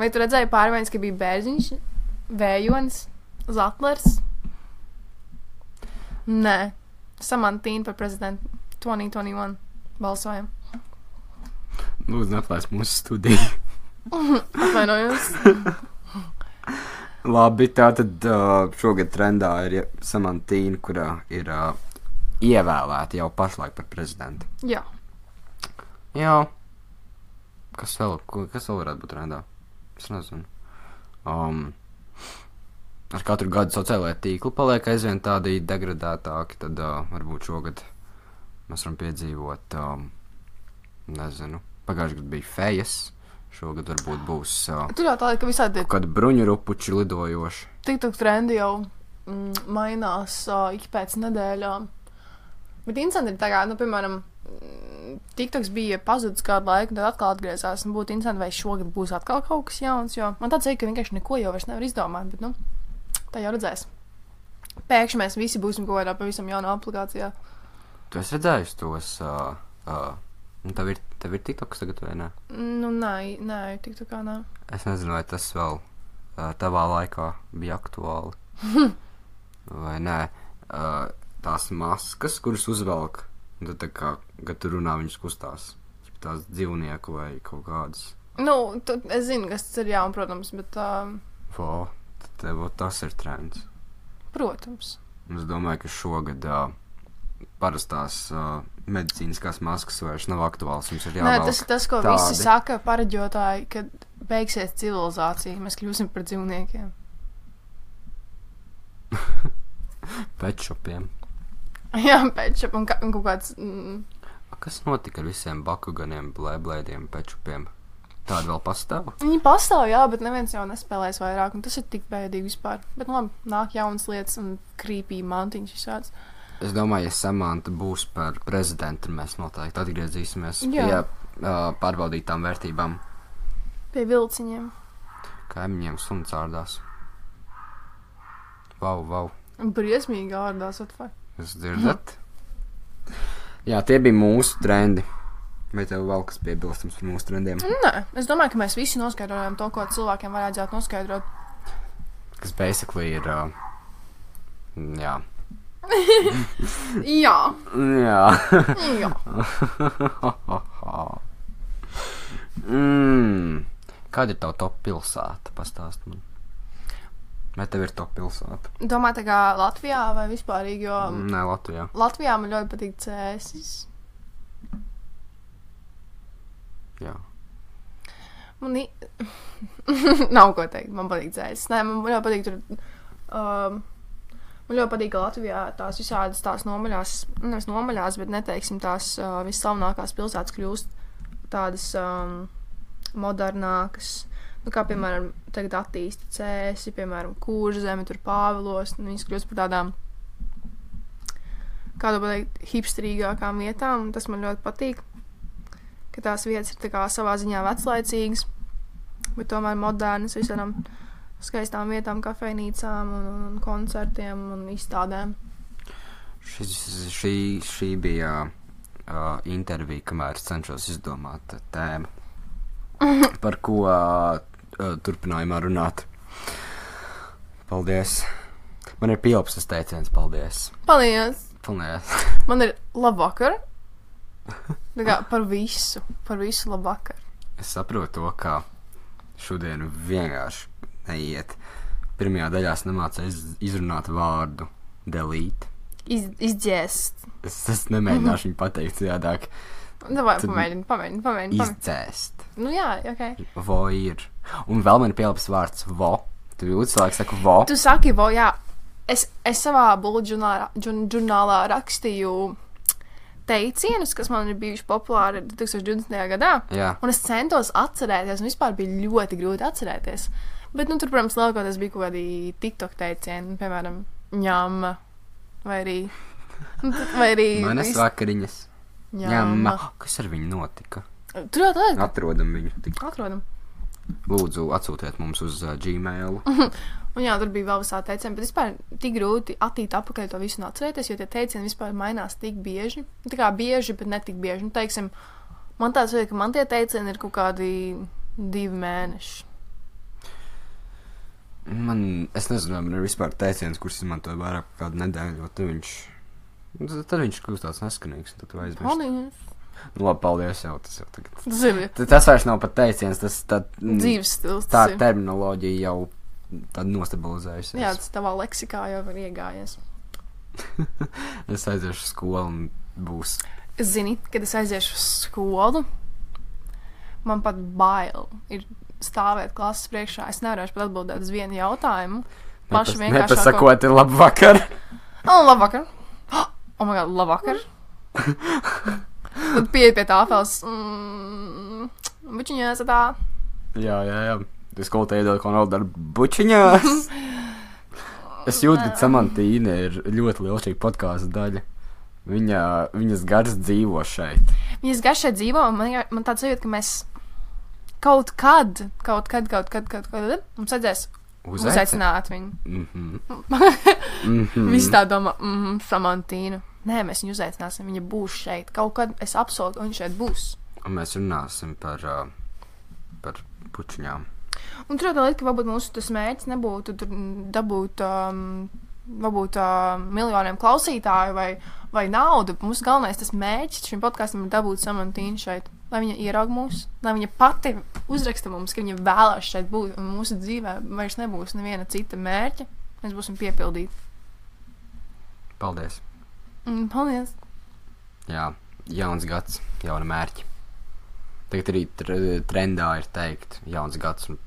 [SPEAKER 2] Vai tu redzēji pārmaiņas, ka bija Bērziņš, Vējonis, Zatlers? Nē. Samantīna par prezidentu 2021 balsojam.
[SPEAKER 1] Lūdzu, neatlaist mūsu studiju.
[SPEAKER 2] Atvainojos.
[SPEAKER 1] Labi, tātad šogad trendā ir Samantīna, kurā ir ievēlēta jau pašlaik par prezidentu.
[SPEAKER 2] Jā.
[SPEAKER 1] Jā. Kas vēl varētu būt trendā? Es nezinu. Ar katru gadu sociālajā tīkli paliek aizvien tādi degradētāki, tad varbūt šogad mēs varam piedzīvot, nezinu. Pagājušajā gadā bija fejas, šogad varbūt būs
[SPEAKER 2] Tur jau tāda, ka visādi
[SPEAKER 1] kādi bruņurupuči lidojoši.
[SPEAKER 2] TikTok trendi jau mainās ik pēc nedēļām. Bet interesanti ir tā kā, piemēram, TikToks bija pazudis kādu laiku, tad atkal atgriezās. Un būtu interesanti, vai šogad būs atkal kaut kas jauns, jo man tāds ka vienkārši neko jau vairs nevar izdomāt, bet, tā jau redzēs. Pēkšņi mēs visi būsim kaut kādā pavisam jaunā aplikācijā.
[SPEAKER 1] Tu esi redzējis tos, tev ir TikToks tagad vai ne?
[SPEAKER 2] Nē, TikTokā nē.
[SPEAKER 1] Es nezinu, vai tas vēl tavā laikā bija aktuāli. Vai nē, tās maskas, kuras uzvelk, un tad tā kā, kad tu runā, viņas kustās. Tās dzīvnieku vai kaut kādas.
[SPEAKER 2] Es zinu, kas tas ir jaun, protams, bet
[SPEAKER 1] Tev tas ir trends.
[SPEAKER 2] Protams.
[SPEAKER 1] Es domāju, ka šogad parastās medicīniskās maskas vairs nav aktuāls. Mums ir jāvelk
[SPEAKER 2] Nē, tas, ko
[SPEAKER 1] tādi.
[SPEAKER 2] Visi saka pareģotāji, kad beigsies civilizācija, mēs kļūsim par dzīvniekiem.
[SPEAKER 1] Petšopiem.
[SPEAKER 2] Jā, petšop un kaut kāds...
[SPEAKER 1] Kas notika ar visiem bakuganiem, blēblēdiem, petšopiem? Tādi vēl pastāv?
[SPEAKER 2] Viņi pastāv, jā, bet neviens jau nespēlēs vairāk, un tas ir tik bēdīgi vispār. Bet, labi, nāk jaunas lietas un creepy mantiņas visāds.
[SPEAKER 1] Es domāju, ja Samanta būs par prezidentu, mēs noteikti atgriezīsimies
[SPEAKER 2] Jā.
[SPEAKER 1] pie pārbaudītām vērtībām.
[SPEAKER 2] Pie vilciņiem.
[SPEAKER 1] Kaimiņiem suns ārdās. Vau.
[SPEAKER 2] Briesmīgi ārdās, atvar.
[SPEAKER 1] Jūs dzirdat? Jā, tie bija mūsu trendi. Vai tev vēl kas piebilstams par mūsu trendiem?
[SPEAKER 2] Nē, es domāju, ka mēs visi noskaidrojam to, ko cilvēkiem vajadzētu noskaidrot.
[SPEAKER 1] Kas basically ir, jā.
[SPEAKER 2] Jā.
[SPEAKER 1] Jā. Kāda ir tava top pilsēta? Pastāst man. Vai tev ir top pilsēta?
[SPEAKER 2] Domāju, tā kā Latvijā vai vispārīgi, jo...
[SPEAKER 1] Nē, Latvijā.
[SPEAKER 2] Latvijā man ļoti patīk Cēsis.
[SPEAKER 1] Jā.
[SPEAKER 2] Nav ko teikt, man patīk Cēsis. Nē, man ļoti patīk tur... Man ļoti patīk, ka Latvijā tās visādas tās nevis nomaļās, bet neteiksim tās visslavenākās pilsētas kļūst tādas modernākas. Kā, piemēram, tagad attīsta Cēsi, piemēram, Kurzeme, tur Pāvilos, un viņas kļūst par tādām, kādu pateikt, hipsterīgākām vietām, un tas man ļoti patīk, ka tās vietas ir tā kā savā ziņā veclaicīgas, bet tomēr modernas visādām skaistām vietām, kafejnīcām un koncertiem un izstādēm.
[SPEAKER 1] Šī bija intervija, kamēr es cenšos izdomāt tēmu, par ko turpinājumā runāt. Paldies. Man ir pielpstas teiciens, paldies.
[SPEAKER 2] Paldies.
[SPEAKER 1] Paldies.
[SPEAKER 2] Man ir labvakar. Tā kā par visu labvakar.
[SPEAKER 1] Es saprotu to, kā šodien vienkārši neiet. Pirmajā daļā es nemācēju izrunāt vārdu delete.
[SPEAKER 2] Izdzēst.
[SPEAKER 1] Es nemēģināšu viņu pateikt citādāk.
[SPEAKER 2] Davai, pamēģini.
[SPEAKER 1] Izdzēst.
[SPEAKER 2] Nu jā, ok.
[SPEAKER 1] Vo ir. Un vēl man ir pielāps vārds vo. Tu jūti cilvēku saka vo.
[SPEAKER 2] Tu saki vo, jā. Es savā bullet žurnālā rakstīju teicienus, kas man ir bijuši populāri 2020. gadā.
[SPEAKER 1] Jā.
[SPEAKER 2] Un es centos atcerēties, un vispār bija ļoti grūti atcerēties. Bet, nu, tur, protams, lielākoties bija kaut kādi TikTok teicieni, piemēram, ņama, vai arī
[SPEAKER 1] Manas vakariņas.
[SPEAKER 2] ņama.
[SPEAKER 1] Kas ar viņu notika?
[SPEAKER 2] Tur jau tā.
[SPEAKER 1] Atrodam viņu.
[SPEAKER 2] Atrodam.
[SPEAKER 1] Lūdzu, atsūtiet mums uz Gmail.
[SPEAKER 2] Un jā, tur bija vēl visā teicieni, bet vispār tik grūti attīt apakaļ to visu un atcerēties, jo tie teicieni vispār mainās tik bieži. Tā kā bieži, bet ne tik bieži. Nu, teiksim, man tāds vajag, ka man tie teicieni ir kaut kādi 2 mēneši.
[SPEAKER 1] Es nezinu, man ir vispār teiciens, kurš izmantoja vairāk kā kādu nedēļu, jo tad viņš kļūst tāds neskanīgs, un tad tu aizmirsti.
[SPEAKER 2] Paldies.
[SPEAKER 1] Nu, labi, paldies jau, tas jau tagad.
[SPEAKER 2] Zini,
[SPEAKER 1] Tas vairs nav pat teiciens, tas
[SPEAKER 2] dzīves stils.
[SPEAKER 1] tā
[SPEAKER 2] tas ir.
[SPEAKER 1] terminoloģija jau tāda nostabilizējusies.
[SPEAKER 2] Jā, tas tavā leksikā jau ir iegājies.
[SPEAKER 1] Es aiziešu uz skolu un būs.
[SPEAKER 2] Zini, kad es aiziešu uz skolu, man pat bail ir stāvēt klases priekšā. Es nevarēšu pat atbildēt uz vienu jautājumu. Paši vienkārši
[SPEAKER 1] Nepasakot, ir labvakar.
[SPEAKER 2] Labvakar. Oh my god, labvakar. Tad pieeja pie tāfeles. Bučiņās tā.
[SPEAKER 1] Jā. Tu skolu te iedod, ko nav dar bučiņās. Es jūtu, ka Samantīna ir ļoti liela šī podkāsta daļa. Viņas gars dzīvo šeit.
[SPEAKER 2] Viņas gars šeit dzīvo, un man tāds sajūta, ka mēs kaut kad mums vajadzēs uzaicināt viņu. Visi tā domā, Samantīna. Nē, mēs viņu uzaicināsim, viņa būs šeit. Kaut kad es apsolu, ka viņa šeit būs.
[SPEAKER 1] Un mēs runāsim par pučiņām.
[SPEAKER 2] Un tur tā lieta, ka varbūt mūsu tas mērķis nebūtu tur dabūt varbūt miljoniem klausītāju vai naudu. Mūsu galvenais tas mērķis šim podkastam ir dabūt Samantīnu šeit. Lai viņa ieraug mūs, lai viņa pati uzraksta mums, ka viņa vēlās šeit būt. Un mūsu dzīvē vairs nebūs neviena cita mērķa. Mēs būsim piepildīti.
[SPEAKER 1] Paldies.
[SPEAKER 2] Paldies.
[SPEAKER 1] Jā, jauns gads, jauna mērķi. Tagad arī trendā ir teikt jauns gads un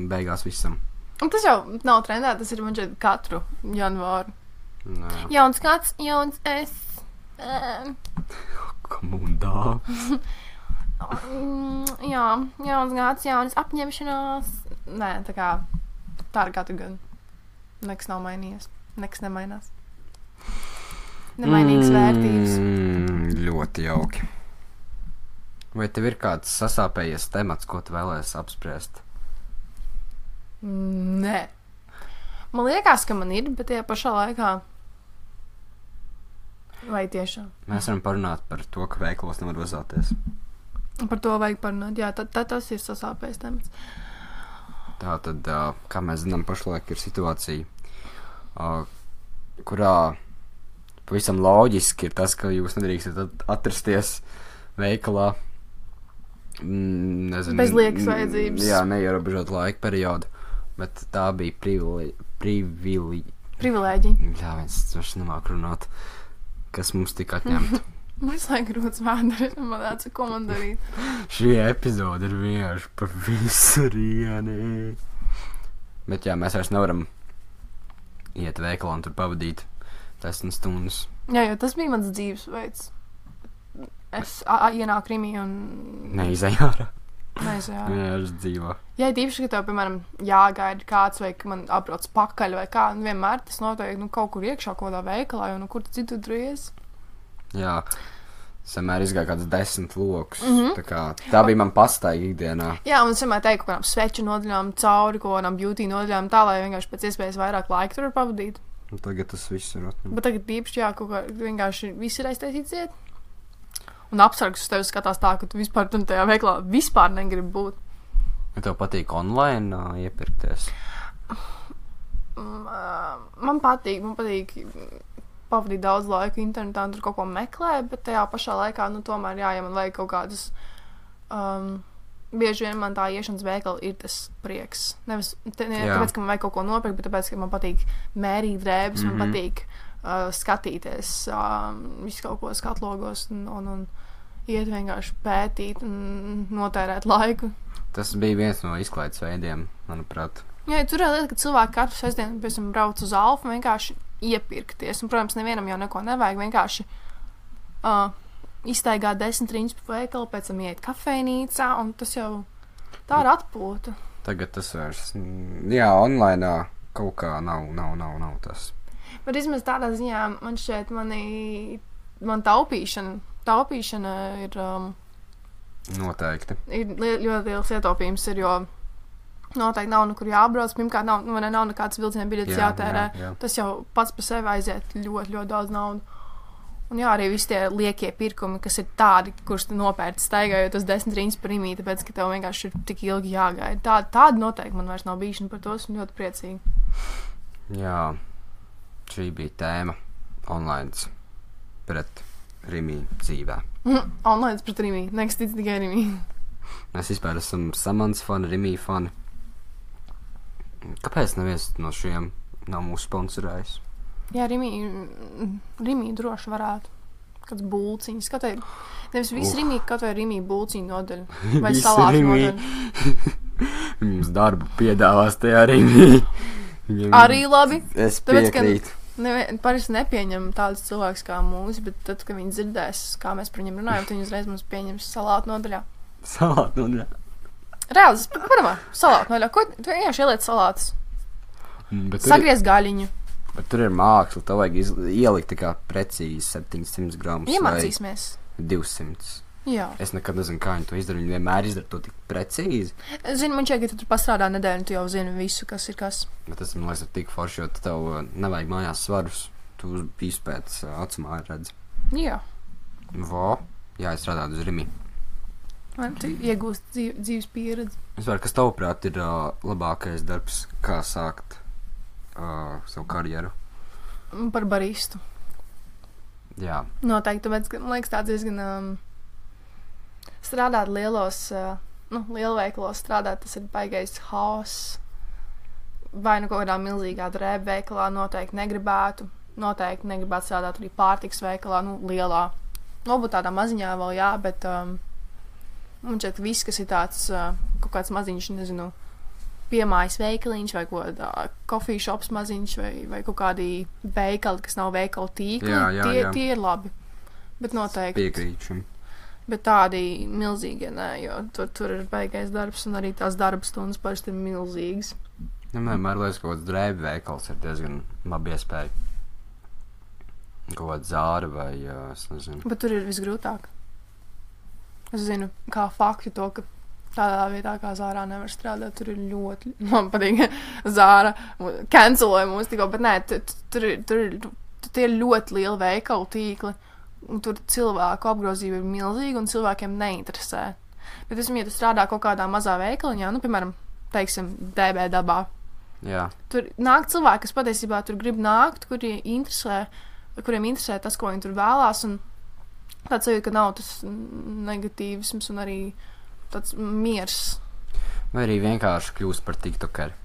[SPEAKER 1] beigās visam.
[SPEAKER 2] Un tas jau nav trendā, tas ir man šeit katru janvāru.
[SPEAKER 1] Nē.
[SPEAKER 2] Jauns gads, jauns es.
[SPEAKER 1] Komundā.
[SPEAKER 2] Jā, jauns gads, jaunas apņemšanās. Nē, tā ir katru gadu. Nekas nav mainījies. Nekas nemainās. Nemainīgas vērtības.
[SPEAKER 1] Ļoti jauki. Vai tev ir kāds sasāpējies temats, ko tu vēlēsi apspriest?
[SPEAKER 2] Nē. Man liekas, ka man ir, bet tajā pašā laikā. Vai tiešām?
[SPEAKER 1] Mēs varam parunāt par to, ka veikalos nevar uzāties.
[SPEAKER 2] Par to vajag parunāt. Jā, tad tas ir sasāpējis temats.
[SPEAKER 1] Tā tad, kā mēs zinām, pašlaik ir situācija, kurā pavisam loģiski ir tas, ka jūs nedrīkstat atrasties veikalā. Nezinu,
[SPEAKER 2] bez liekas vajadzības.
[SPEAKER 1] Jā, neierobežot laika periodu, bet tā bija
[SPEAKER 2] Privilēģija.
[SPEAKER 1] Jā, es nemāku runāt, kas mums tika atņemta.
[SPEAKER 2] Mums vajag grūts vārdu, man tāds, ko man darīt.
[SPEAKER 1] Šī epizode ir vienkārši par visu rieni. Bet jā, mēs vairs nevaram iet veikalā un tur pavadīt 10 stundas.
[SPEAKER 2] Jā, jo tas bija mans dzīvesveids. Es ienāku Rimī un
[SPEAKER 1] Neizēju ārā.
[SPEAKER 2] neizjāru.
[SPEAKER 1] Jā, es dzīvo.
[SPEAKER 2] Jā, tīpaši, ka tev, piemēram, jāgaida kāds vai ka man apbrauc pakaļ vai kā, un vienmēr tas notiek, kaut kur iekšā, kaut kādā veikalā, jo kur citu dries.
[SPEAKER 1] Jā, samēr izgāja kāds 10 lokus. Tā bija man pastaiga ikdienā.
[SPEAKER 2] Jā, un es vienmēr teiktu, ka kādām sveču nodaļām cauri, kaut kādām beauty nodaļām tā, lai vienkārši pēc iespējas vairāk laika tur var pavadīt.
[SPEAKER 1] Un tagad tas viss ir atņemts.
[SPEAKER 2] Bet tagad tīpaši, jā, kaut kā vienkārši viss ir aiztaisīts iet. Un apsargs uz tevi skatās tā, ka tu vispār tajā veiklā vispār negribi būt.
[SPEAKER 1] Ja tev patīk online iepirkties?
[SPEAKER 2] Man patīk pavadīt daudz laika internetā un tur kaut ko meklēt, bet tajā pašā laikā, tomēr, jā, ja man vajag kaut kādas, bieži vien man tā iešanas veikala ir tas prieks. Nevis tāpēc, ka man vajag kaut ko nopirkt, bet tāpēc, ka man patīk mērīt drēbes, man patīk skatīties visu kaut ko skatlogos un iet vienkārši pētīt un notērēt laiku.
[SPEAKER 1] Tas bija viens no izklaides veidiem, manuprāt.
[SPEAKER 2] Jā, tur ir lieta, ka cilvēki katru sestdienu, piemēram, brauc uz Alfu un vienkārši iepirkties. Un, protams, nevienam jau neko nevajag, vienkārši iztaigāt 10 riņķus pa veikalu, pēc tam iet kafejnīcā, un tas jau tā ir atpūta.
[SPEAKER 1] Tagad tas vairs, online kaut kā nav tas.
[SPEAKER 2] Bet vismaz tādā ziņā man šķiet, man taupīšana ir...
[SPEAKER 1] Noteikti.
[SPEAKER 2] Ir ļoti liels ietaupījums, jo noteikti nav nekur jābrauc. Pirmkārt, nav nekāds vilciena biļetes jātērē. Jā. Tas jau pats par sevi aiziet ļoti, ļoti daudz naudu. Un jā, arī visi tie liekie pirkumi, kas ir tādi, kurus tu nopērci staigājot uz 10 riņķus par imī, tāpēc, ka tev vienkārši ir tik ilgi jāgaida. Tāda noteikti man vairs nav bijuši, un par to esmu ļoti priecīgi. Jā,
[SPEAKER 1] šī bija tēma online pret Rimī dzīvē.
[SPEAKER 2] Online pret Rimī, nekas tic tikai Rimī.
[SPEAKER 1] Mēs vispār esam Samants fani, Rimī fani. Kāpēc neviens no šiem nav mūsu sponsorējis?
[SPEAKER 2] Jā, Rimī droši varētu. Kāds bulciņas, nevis viss Rimī, kaut vai Rimī bulciņu nodaļa. Vai salātu nodaļa.
[SPEAKER 1] Mums darbu piedāvās tajā Rimī.
[SPEAKER 2] Arī labi.
[SPEAKER 1] Es piekrītu.
[SPEAKER 2] Parasti nepieņem tādus cilvēkus kā mūsu, bet tad, kad viņi dzirdēs, kā mēs par viņiem runājam, tad viņi uzreiz mums pieņems salātu nodaļā.
[SPEAKER 1] Salātu nodaļā?
[SPEAKER 2] Reāli, padomā, salātu nodaļā. Ko tu vienkārši ieliec salātus? Sagriez gaļiņu.
[SPEAKER 1] Bet tur ir māksla, tev vajag ielikt tā kā precīzi 700 gramus.
[SPEAKER 2] Iemācīsimies.
[SPEAKER 1] 200.
[SPEAKER 2] Jā.
[SPEAKER 1] Es nekad nezinu, kā viņi to izdara. Viņi vienmēr izdara to tik precīzi.
[SPEAKER 2] Zinu, man šķiet, ka tu tur pastrādā nedēļu, tu jau zini visu, kas ir kas.
[SPEAKER 1] Bet tas, man liekas, ir tik forši, jo tev nevajag mājās svarus. Tu visu pēc acumā redzi.
[SPEAKER 2] Jā.
[SPEAKER 1] Jā, es strādāju uz Rimī.
[SPEAKER 2] Tu iegūst dzīves pieredzi.
[SPEAKER 1] Kas tavuprāt ir labākais darbs, kā sākt savu karjeru?
[SPEAKER 2] Par baristu.
[SPEAKER 1] Jā.
[SPEAKER 2] Noteikti, tāpēc, ka, man liekas, tāds diezgan... strādāt lielveikalos strādāt, tas ir baigais haoss. Vai kaut kādā milzīgā drēbu veikalā noteikti negribētu strādāt arī pārtiks veikalā, lielā. Varbūt tādā maziņā vēl jā, bet man šķiet, viss, kas ir tāds kaut kāds maziņš, nezinu, piemājas veikaliņš vai kaut kādā coffee shops maziņš vai kaut kādi veikali, kas nav veikalu tīkli, tie ir labi. Bet noteikti.
[SPEAKER 1] Piekrītu.
[SPEAKER 2] Bet tādi milzīgi, jo tur ir baigais darbs, un arī tās darba stundas parasti ir milzīgas.
[SPEAKER 1] Vienmēr liekas, ka kaut kāds drēbu veikals ir diezgan labi iespēja. Kaut kāda Zāra vai, es nezinu.
[SPEAKER 2] Bet tur ir visgrūtāk. Es zinu, kā faktu to, ka tādā vietā kā Zārā nevar strādāt, tur ir ļoti, man patīk, Zāra canceloja mūs tikko, bet nē, tur ir ļoti liela veikalu tīkli. Un tur cilvēku apgrozība ir milzīga un cilvēkiem neinteresē. Bet, ja tu strādā kaut kādā mazā veikaliņā, piemēram, teiksim, DB dabā, tur nāk cilvēki, kas patiesībā tur grib nākt, kuriem interesē tas, ko viņi tur vēlās, un tāds sajūta, ka nav tas negatīvisms un arī tāds miers.
[SPEAKER 1] Vai arī vienkārši kļūst par tiktokeri.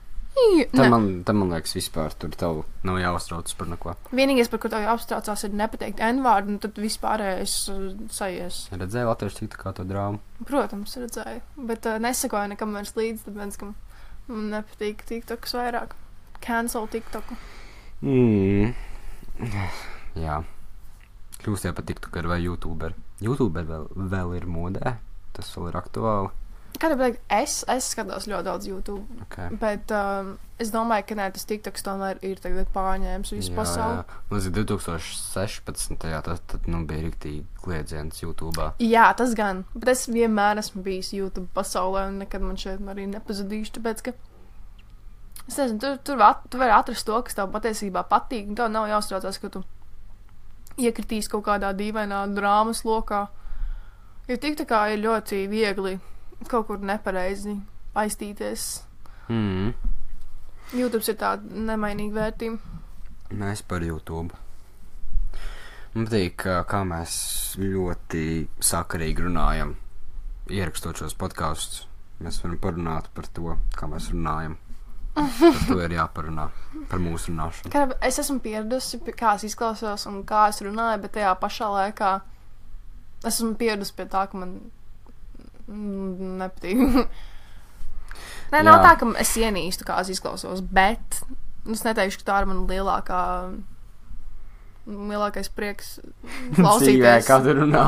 [SPEAKER 1] Tam man liekas, vispār tur tev nav jāuztraucas par neko.
[SPEAKER 2] Vienīgais, par ko tev jāuztraucās, ir nepateikt N-vārdu, un tad vispārējais sajies.
[SPEAKER 1] Redzēju latviešu tiktokā to drāmu?
[SPEAKER 2] Protams, redzēju, bet nesakoju nekam vairs līdz, tāpēc, ka man nepatīk tiktoks vairāk. Cancel tiktoku.
[SPEAKER 1] Jā. Kļūst jau par tiktokeri vai youtuberi. Youtuberi vēl ir modē, tas vēl ir aktuāli.
[SPEAKER 2] Kādā veidā es skatos ļoti daudz YouTube, bet es domāju, ka tas TikToks tomēr ir tagad pārņēmis visu pasauli.
[SPEAKER 1] Mums ir 2016. Tad bija riktīgi kliedziens YouTube.
[SPEAKER 2] Jā, tas gan, bet es vienmēr esmu bijis YouTube pasaulē un nekad man šeit arī nepazudīšu, tāpēc, ka es nezinu, tu vari atrast to, kas tev patiesībā patīk, un tev nav jāuztraucās, ka tu iekritīs kaut kādā dīvainā drāmas lokā. Jo TikTokā ir ļoti viegli kaut kur nepareizi aiztīties. YouTube ir tāda nemainīga vērtība.
[SPEAKER 1] Mēs par YouTube. Man patīk, kā mēs ļoti sakarīgi runājam, ierakstot šos podkastus. Mēs varam parunāt par to, kā mēs runājam. Par to ir jāparunā, par mūsu runāšanu.
[SPEAKER 2] Kā es esmu pieradusi, kā es izklausos un kā es runāju, bet tajā pašā laikā es esmu pieradusi pie tā, ka man nepatīk. Nē, nav tā, ka es ienīstu, kā es izklausos, bet es neteikšu, ka tā ir man lielākais prieks klausīties.
[SPEAKER 1] Dzīvē, kā tu runā.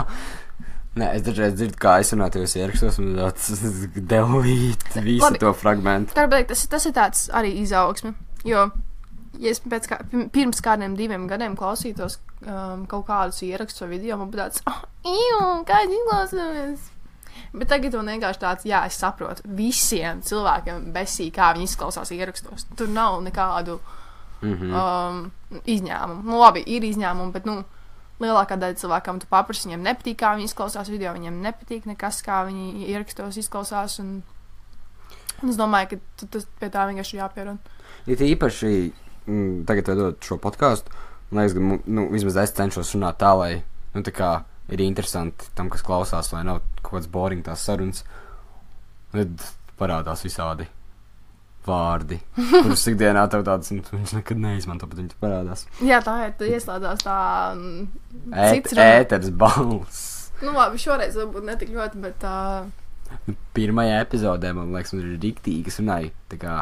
[SPEAKER 1] Nē, es dažreiz dzirdu, kā es runāju tajos ierakstos, un tāds delvīt visu labi, to fragmentu.
[SPEAKER 2] Tas ir tāds arī izaugsme, jo, ja es pirms kādiem 2 gadiem klausītos kaut kādus ierakstus vai video, man būtu tāds, kā es izklausos. Bet tagad man vienkārši tāds, jā, es saprotu, visiem cilvēkiem besī, kā viņi izklausās ierakstos. Tur nav nekādu izņēmumu. Nu, labi, ir izņēmumi, bet, lielākā daļa cilvēkam tu paprasti, viņiem nepatīk, kā viņi izklausās video, viņiem nepatīk nekas, kā viņi ierakstos izklausās, un es domāju, ka tas pie tā vienkārši ir jāpierod.
[SPEAKER 1] Ir īpaši, tagad vedot šo podcastu, man liekas, ka, vismaz es cenšos runāt tā, lai, tā kā ir interesanti tam, kas klausās, lai nav kaut kāds boring tās sarunas, tad parādās visādi vārdi, kurus ikdienā tev tāds, viņš nekad neizmanto, bet viņi parādās.
[SPEAKER 2] Jā, tā ir, tu ieslēdzās tā
[SPEAKER 1] ēters balss.
[SPEAKER 2] Labi, šoreiz varbūt netik ļoti, bet
[SPEAKER 1] pirmajā epizodē, man liekas, man ir riktīgi, kas runāja, tā kā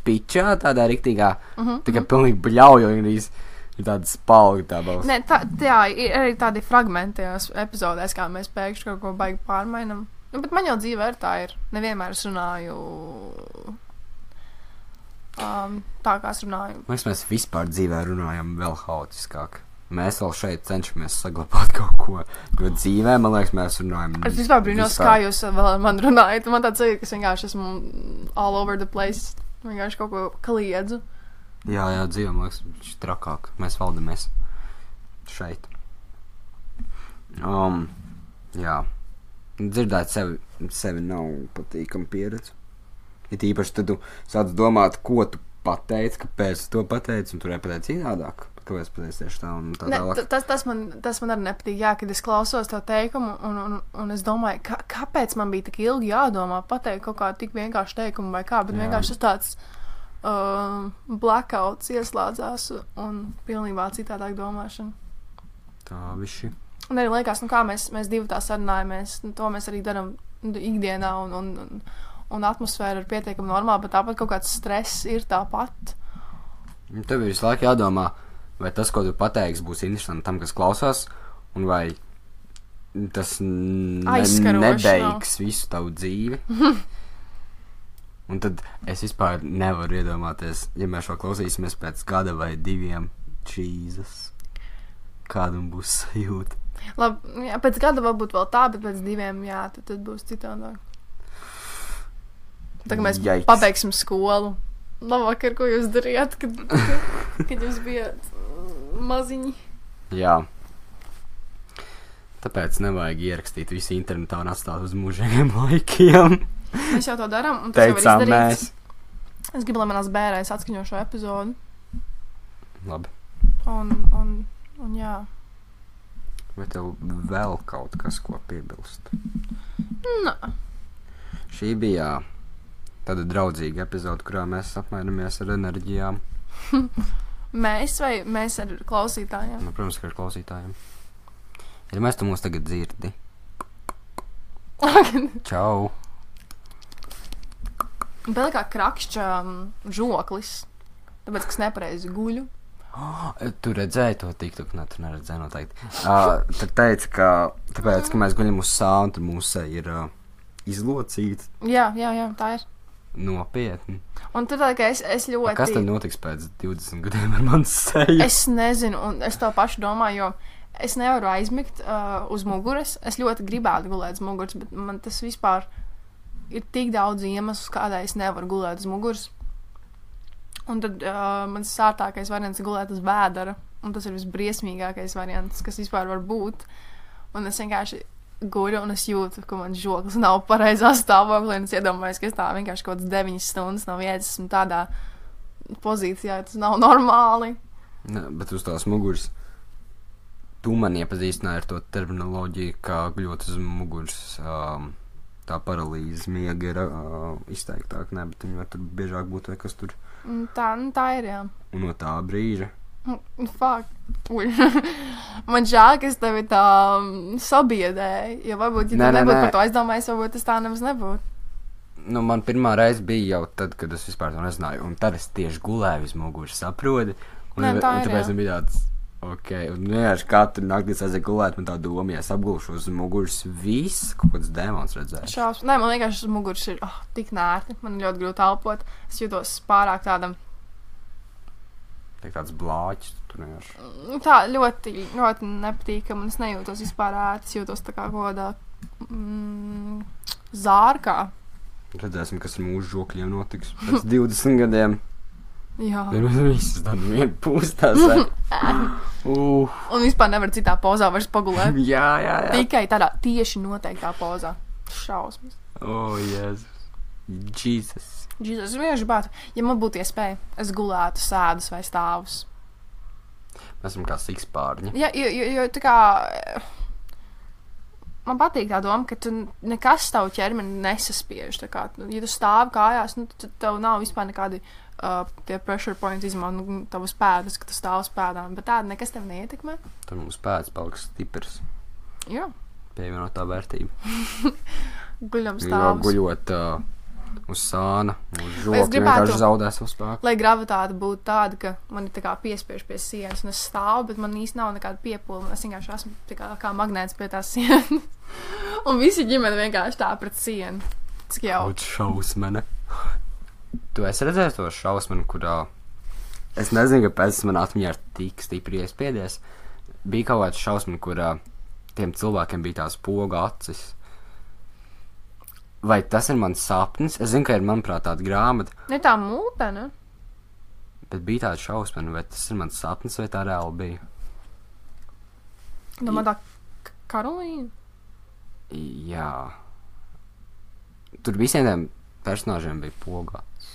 [SPEAKER 1] pičā, tādā riktīgā, tā kā pilnīgi bļaujo, ir tāda spalga tā balss.
[SPEAKER 2] Nē, jā, ir arī tādi fragmenti epizodēs, kā mēs pēkšņi kaut ko baigi pārmainam. Bet man jau dzīvē ir tā ir, nevienmēr es runāju tā, kā es runāju.
[SPEAKER 1] Mēs vispār dzīvē runājam vēl haotiskāk. Mēs vēl šeit cenšamies saglabāt kaut ko, jo dzīvē, man liekas, mēs runājam.
[SPEAKER 2] Es vispār brīnos, kā jūs vēl ar mani runājat. Man tāds ir, ka es vienkārši esmu all over the place. Vienkārši kaut ko kliedzu.
[SPEAKER 1] Jā, dzīvē, man liekas, viņš ir trakāk. Mēs valdamies šeit. Jā. Dzirdēt sevi nav patīkama pieredze. Ir īpaši, tad tu sāc domāt, ko tu pateici, kāpēc tu to pateici, un tu nepateici citādāk. Kāpēc pateici tieši tā un tā tālāk?
[SPEAKER 2] Tas man arī nepatīk, jā, kad es klausos to teikumu, un es domāju, kāpēc man bija tik ilgi jādomā pateikt kaut kā tik vienkārši teikumu vai kā, bet vienkārši tas tāds blackouts ieslēdzās un pilnībā citādāk domāšana.
[SPEAKER 1] Tā viši.
[SPEAKER 2] Un arī liekas, kā mēs divi tā sarunājamies, to mēs arī daram ikdienā un atmosfēra ir pietiekami normāla, bet tāpat kaut kāds stress ir tāpat.
[SPEAKER 1] Tev ir visu laiku jādomā, vai tas, ko tu pateiksi, būs interesanti tam, kas klausās, un vai tas nebeigs visu tavu dzīvi. Un tad es vispār nevaru iedomāties, ja mēs šo klausīsimies pēc gada vai 2, Jesus, kādam būs sajūta.
[SPEAKER 2] Labi, jā, pēc gada varbūt vēl tā, bet pēc 2, jā, tad būs citādāk. Tagad mēs pabeigsim skolu. Labvakar, ko jūs darījāt, kad jūs bijāt maziņi?
[SPEAKER 1] Jā. Tāpēc nevajag ierakstīt visu internetā un atstāt uz mūžīgiem laikiem.
[SPEAKER 2] Mēs jau to darām, un tas
[SPEAKER 1] teicām
[SPEAKER 2] jau ir izdarīts. Es gribu, lai manās bērēs atskaņo šo epizodu.
[SPEAKER 1] Labi.
[SPEAKER 2] Un jā.
[SPEAKER 1] Vai tev vēl kaut kas, ko piebilst?
[SPEAKER 2] Nē.
[SPEAKER 1] Šī bija tāda draudzīga epizode, kurā mēs apmainamies ar enerģijām.
[SPEAKER 2] Mēs vai mēs ar klausītājiem?
[SPEAKER 1] Protams, ka ar klausītājiem. Ja mēs tu mūs tagad dzirdi. Čau.
[SPEAKER 2] Vēl kā krakšķa žoklis, tāpēc, ka es nepareizi guļu.
[SPEAKER 1] Tu redzēji to TikTok? Nē, tu neredzēji noteikti. Tad teica, ka tāpēc, ka mēs guļam uz sānu, tad mūsu ir izlocīta.
[SPEAKER 2] Jā, tā ir.
[SPEAKER 1] Nopietni.
[SPEAKER 2] Un tad tā, es ļoti...
[SPEAKER 1] Kas tad notiks pēc 20 gadiem ar manu seju?
[SPEAKER 2] Es nezinu, un es to pašu domāju, jo es nevaru aizmigt uz muguras. Es ļoti gribētu gulēt uz muguras, bet man tas vispār ir tik daudz iemeslu, kādēļ es nevaru gulēt uz muguras. Un tad mans sārtākais variants ir gulēt uz vēdera, un tas ir visbriesmīgākais variants, kas vispār var būt. Un es vienkārši guļu, un es jūtu, ka man žoklis nav pareizā stāvoklī, un es iedomājos, ka es tā vienkārši kaut kāds 9 stundas nav ēdis, esmu tādā pozīcijā, tas nav normāli.
[SPEAKER 1] Ne, bet uz tās muguras tu man iepazīstināji ar to terminoloģiju, kā guļot uz muguras, tā paralīze miega ir izteiktāk, ne, bet viņi var tur biežāk būt vai kas tur.
[SPEAKER 2] Tā ir, jā.
[SPEAKER 1] Un no tā brīža.
[SPEAKER 2] Fuck. Man žēl, ka es tevi tā sabiedēju, jo varbūt, ja tu nebūtu par to aizdomājies, varbūt tas tā nemaz nebūtu.
[SPEAKER 1] Nu, man pirmā reize bija jau tad, kad es vispār to nezināju, un tad es tieši gulēju uz muguras, saproti, un tāpēc man bija tāds, ok, un vienkārši katru nakti es aizēju gulēt, man tā doma, ja es apgulšu uz muguras, viss, kaut kāds dēmons redzēju.
[SPEAKER 2] Nē, man vienkārši uz muguras ir tik nērti, man ļoti grūti elpot, es jūtos pārāk tādam.
[SPEAKER 1] Tāds blāķis, tur vienkārši.
[SPEAKER 2] Tā ļoti, ļoti nepatīkam, un es nejūtos vispār ērti, es jūtos tā kā kādā zārkā.
[SPEAKER 1] Redzēsim, kas ar mūsu žokļiem notiks pēc 20 gadiem.
[SPEAKER 2] Jā.
[SPEAKER 1] Visas tādu vienu pūstās.
[SPEAKER 2] Un vispār nevar citā pozā vairs pagulēt.
[SPEAKER 1] Jā.
[SPEAKER 2] Tikai tādā tieši noteiktā pozā. Šausmas.
[SPEAKER 1] Jēzus. Jesus.
[SPEAKER 2] Es vienkārši gribētu, ja man būtu iespēja, es gulētu sēdus vai stāvus.
[SPEAKER 1] Mēs esam kā sikspārņi.
[SPEAKER 2] Jā, jo tā kā... Man patīk tā doma, ka tu nekas tavu ķermeni nesaspiež. Tā kā, ja tu stāvi kājās, nu, tad tev nav vispār nekādi tie pressure points izmanto tavus pēdas, ka tu stāv uz pēdām. Bet tāda nekas tev neietekmē.
[SPEAKER 1] Tad mums pēdas paliks stiprs.
[SPEAKER 2] Jā.
[SPEAKER 1] Pievienotā vērtība.
[SPEAKER 2] Guļam stāvus.
[SPEAKER 1] Guļot uz sāna, uz žokļa, vienkārši zaudē savu spēku.
[SPEAKER 2] Lai gravitāte būtu tāda, ka man ir tā kā piespiež pie sienas, un es stāvu, bet man īsti nav nekāda piepūle. Es vienkārši esmu tā kā magnēts pie tās sienas. Un visi ģimene vienkārši tā pret sienu. Cik jau.
[SPEAKER 1] Kaut šausmene. Tu esi redzējis to šausmeni, kurā... Es nezinu, kāpēc man atmiņā ir tik stipri iespiedies. Bija kaut kāds šausmeni, kurā tiem cilvēkiem bija tās poga acis. Vai tas ir mans sapnis? Es zinu, ka ir, manuprāt, tāda grāmata.
[SPEAKER 2] Ne tā mūte, ne?
[SPEAKER 1] Bet bija tāda šausmena, vai tas ir mans sapnis, vai tā reāli bija?
[SPEAKER 2] Domā tā Karolīna?
[SPEAKER 1] Jā. Tur visiem tiem personāžiem bija pogāts.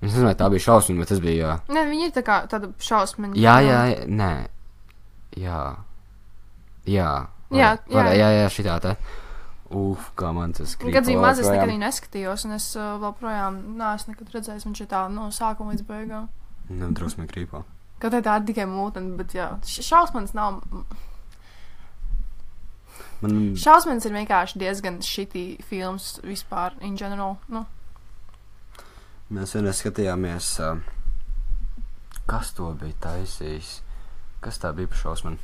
[SPEAKER 1] Es nezinu, vai tā bija šausmena, vai tas bija...
[SPEAKER 2] Nē, viņi ir tā kā tāda šausmeņa.
[SPEAKER 1] Jā, nē. Jā, šitā tā. Kā man tas krīt.
[SPEAKER 2] Kad bija maz, es nekad viņu neskatījos, un es vēl projām neesmu nekad redzējis, viņš ir tā no sākuma līdz beigām.
[SPEAKER 1] Drosmīgi krīpā.
[SPEAKER 2] Kaut tā ir tikai mūteni, bet jā, šausmanis nav... Šausmanis ir vienkārši diezgan shitty films vispār, in general, nu.
[SPEAKER 1] Mēs vienreiz skatījāmies, kas to bija taisījis? Kas tā bija par šausmani?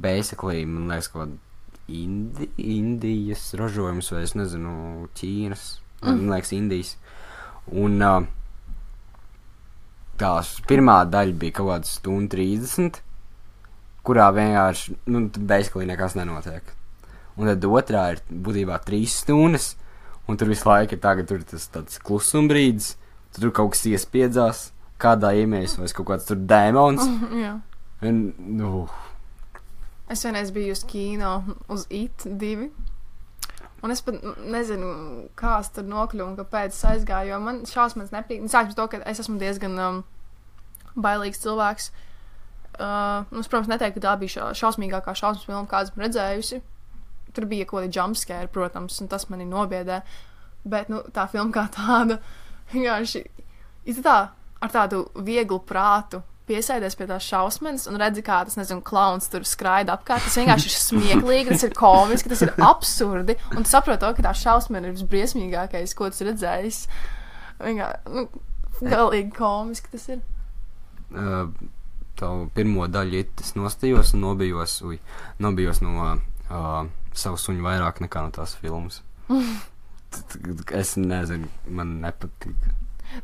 [SPEAKER 1] Basically, man liekas, kaut Indijas ražojums, vai es nezinu, Ķīnas, man liekas, Indijas. Un tās pirmā daļa bija kaut kāda 1:30, kurā vienkārši, basically nekas nenotiek. Un tad otrā ir būtībā 3 stundas, un tur visu laiku ir tagad tur tas tāds klusumbrīdis, tur kaut kas iespiedzās, kādā iemējas, vai kaut kāds tur dēmons.
[SPEAKER 2] Jā.
[SPEAKER 1] Un,
[SPEAKER 2] Es vienreiz biju uz kino, uz IT 2, un es pat nezinu, kā es tur nokļuvu un kāpēc es aizgāju, jo man šausmas nepatīk. Sākums to, ka es esmu diezgan bailīgs cilvēks. Es, protams, neteiktu, ka tā bija šausmīgākā šausmas filma, kādu esmu redzējusi. Tur bija kaut kādi jumpscare, protams, un tas mani nobiedē. Bet, tā filma kā tāda, vienkārši, tā ar tādu vieglu prātu piesēdies pie tās šausmenes un redzi, kā tas, nezinu, klauns tur skraida apkārt. Tas vienkārši ir smieklīgi, tas ir komiski, tas ir absurdi. Un tu saproti to, ka tā šausmena ir visbriesmīgākais, ko tu esi redzējis. Vienkārši, galīgi komiski tas ir.
[SPEAKER 1] Tavu pirmo daļu es nostījos un nobijos no savu suņu vairāk nekā no tās filmas. Es nezinu, man nepatīk.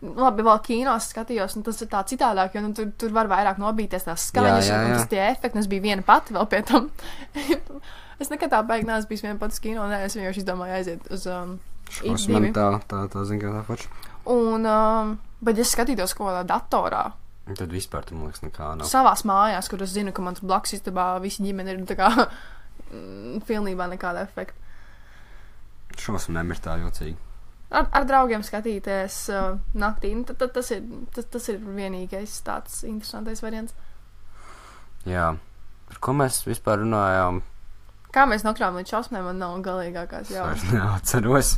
[SPEAKER 2] Labi, vēl kīnos skatījos, un tas ir tā citādāk, jo tur var vairāk nobīties tās skaņas, un tas tie efekti, un es biju viena pati vēl pie tam. Es nekad tā beig neesmu bijis viena pati uz kino, es vienkārši izdomāju aiziet uz
[SPEAKER 1] šausmani, tā zin, kā tā paša.
[SPEAKER 2] Un, bet ja es skatītos kaut kādā datorā,
[SPEAKER 1] tad vispār tam liekas nekā nav.
[SPEAKER 2] Savās mājās, kur es zinu, ka man tur blakus istabā visi ģimeni ir tā kā pilnībā nekāda efekta.
[SPEAKER 1] Šausmēm ir tā jocīgi.
[SPEAKER 2] ar draugiem skatīties naktī. Nu, tad tas ir vienīgais tāds interesantais variants.
[SPEAKER 1] Jā. Par ko mēs vispār runājām?
[SPEAKER 2] Kā mēs nokļāvām līdz šausmēm, man nav galīgākās
[SPEAKER 1] Es vairs
[SPEAKER 2] jausmas.
[SPEAKER 1] neatceros.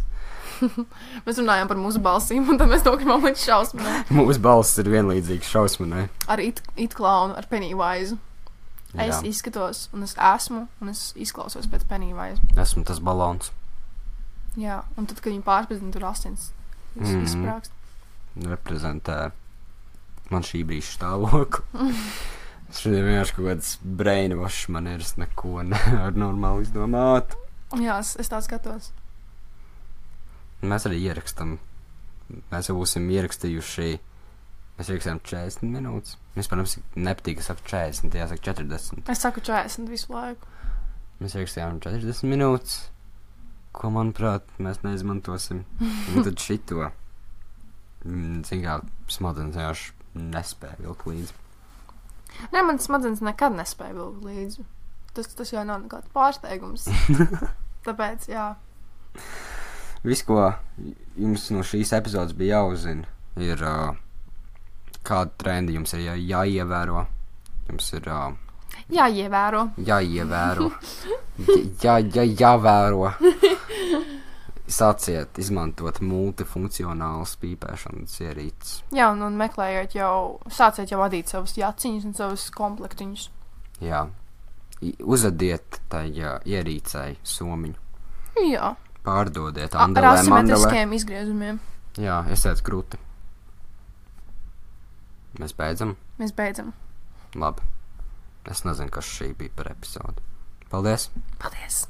[SPEAKER 2] Mēs runājām par mūsu balsīm, un tad mēs nokļāvām līdz šausmēm.
[SPEAKER 1] Mūsu balss ir vienlīdzīgs šausmanai.
[SPEAKER 2] Ar it klaunu, ar Pennywise. Es
[SPEAKER 1] Jā.
[SPEAKER 2] izskatos, un es esmu, un es izklausos pēc Pennywise.
[SPEAKER 1] Esmu tas balons.
[SPEAKER 2] Jā, un tad, kad viņi pārspēj, tur asins izsprāgst.
[SPEAKER 1] Reprezentē man šī brīža stāvokli. Šodien vienkārši kaut kāds brainwash manieres neko nevar normāli izdomāt.
[SPEAKER 2] Jā, es tā skatos.
[SPEAKER 1] Mēs arī ierakstam. Mēs jau būsim ierakstījuši. Mēs ierakstījām 40 minūtes. Vispār mums nepatīk, ka saka 40, jāsaka 40.
[SPEAKER 2] Es saku 40 visu laiku.
[SPEAKER 1] Mēs ierakstījām 40 minūtes, ko, manuprāt, mēs neizmantosim. Un tad šito. Cik kā smadzenes vienkārši nespēja vilkt līdzi.
[SPEAKER 2] Nē, man smadzenes nekad nespēja vilkt līdzi. Tas jau nav nekāds pārsteigums. Tāpēc, jā.
[SPEAKER 1] Viss, ko jums no šīs epizodes bija jāuzzina, ir kāda trendi jums ir jāievēro. Jums ir
[SPEAKER 2] Jāievēro.
[SPEAKER 1] jāievēro. Jāvēro. Sāciet izmantot multifunkcionālas pīpēšanas ierīces.
[SPEAKER 2] Jā, un meklējot sāciet jau vadīt savus jaciņus un savus komplektiņus.
[SPEAKER 1] Jā. Uzadiet tai ierīcei somiņu.
[SPEAKER 2] Jā.
[SPEAKER 1] Pārdodiet
[SPEAKER 2] Ar
[SPEAKER 1] andelē, mandelē.
[SPEAKER 2] asimetriskiem izgriezumiem.
[SPEAKER 1] Jā, esiet krūti. Mēs beidzam?
[SPEAKER 2] Mēs beidzam.
[SPEAKER 1] Labi. Es nezinu, kas šī bija par epizodu. Paldies!
[SPEAKER 2] Paldies!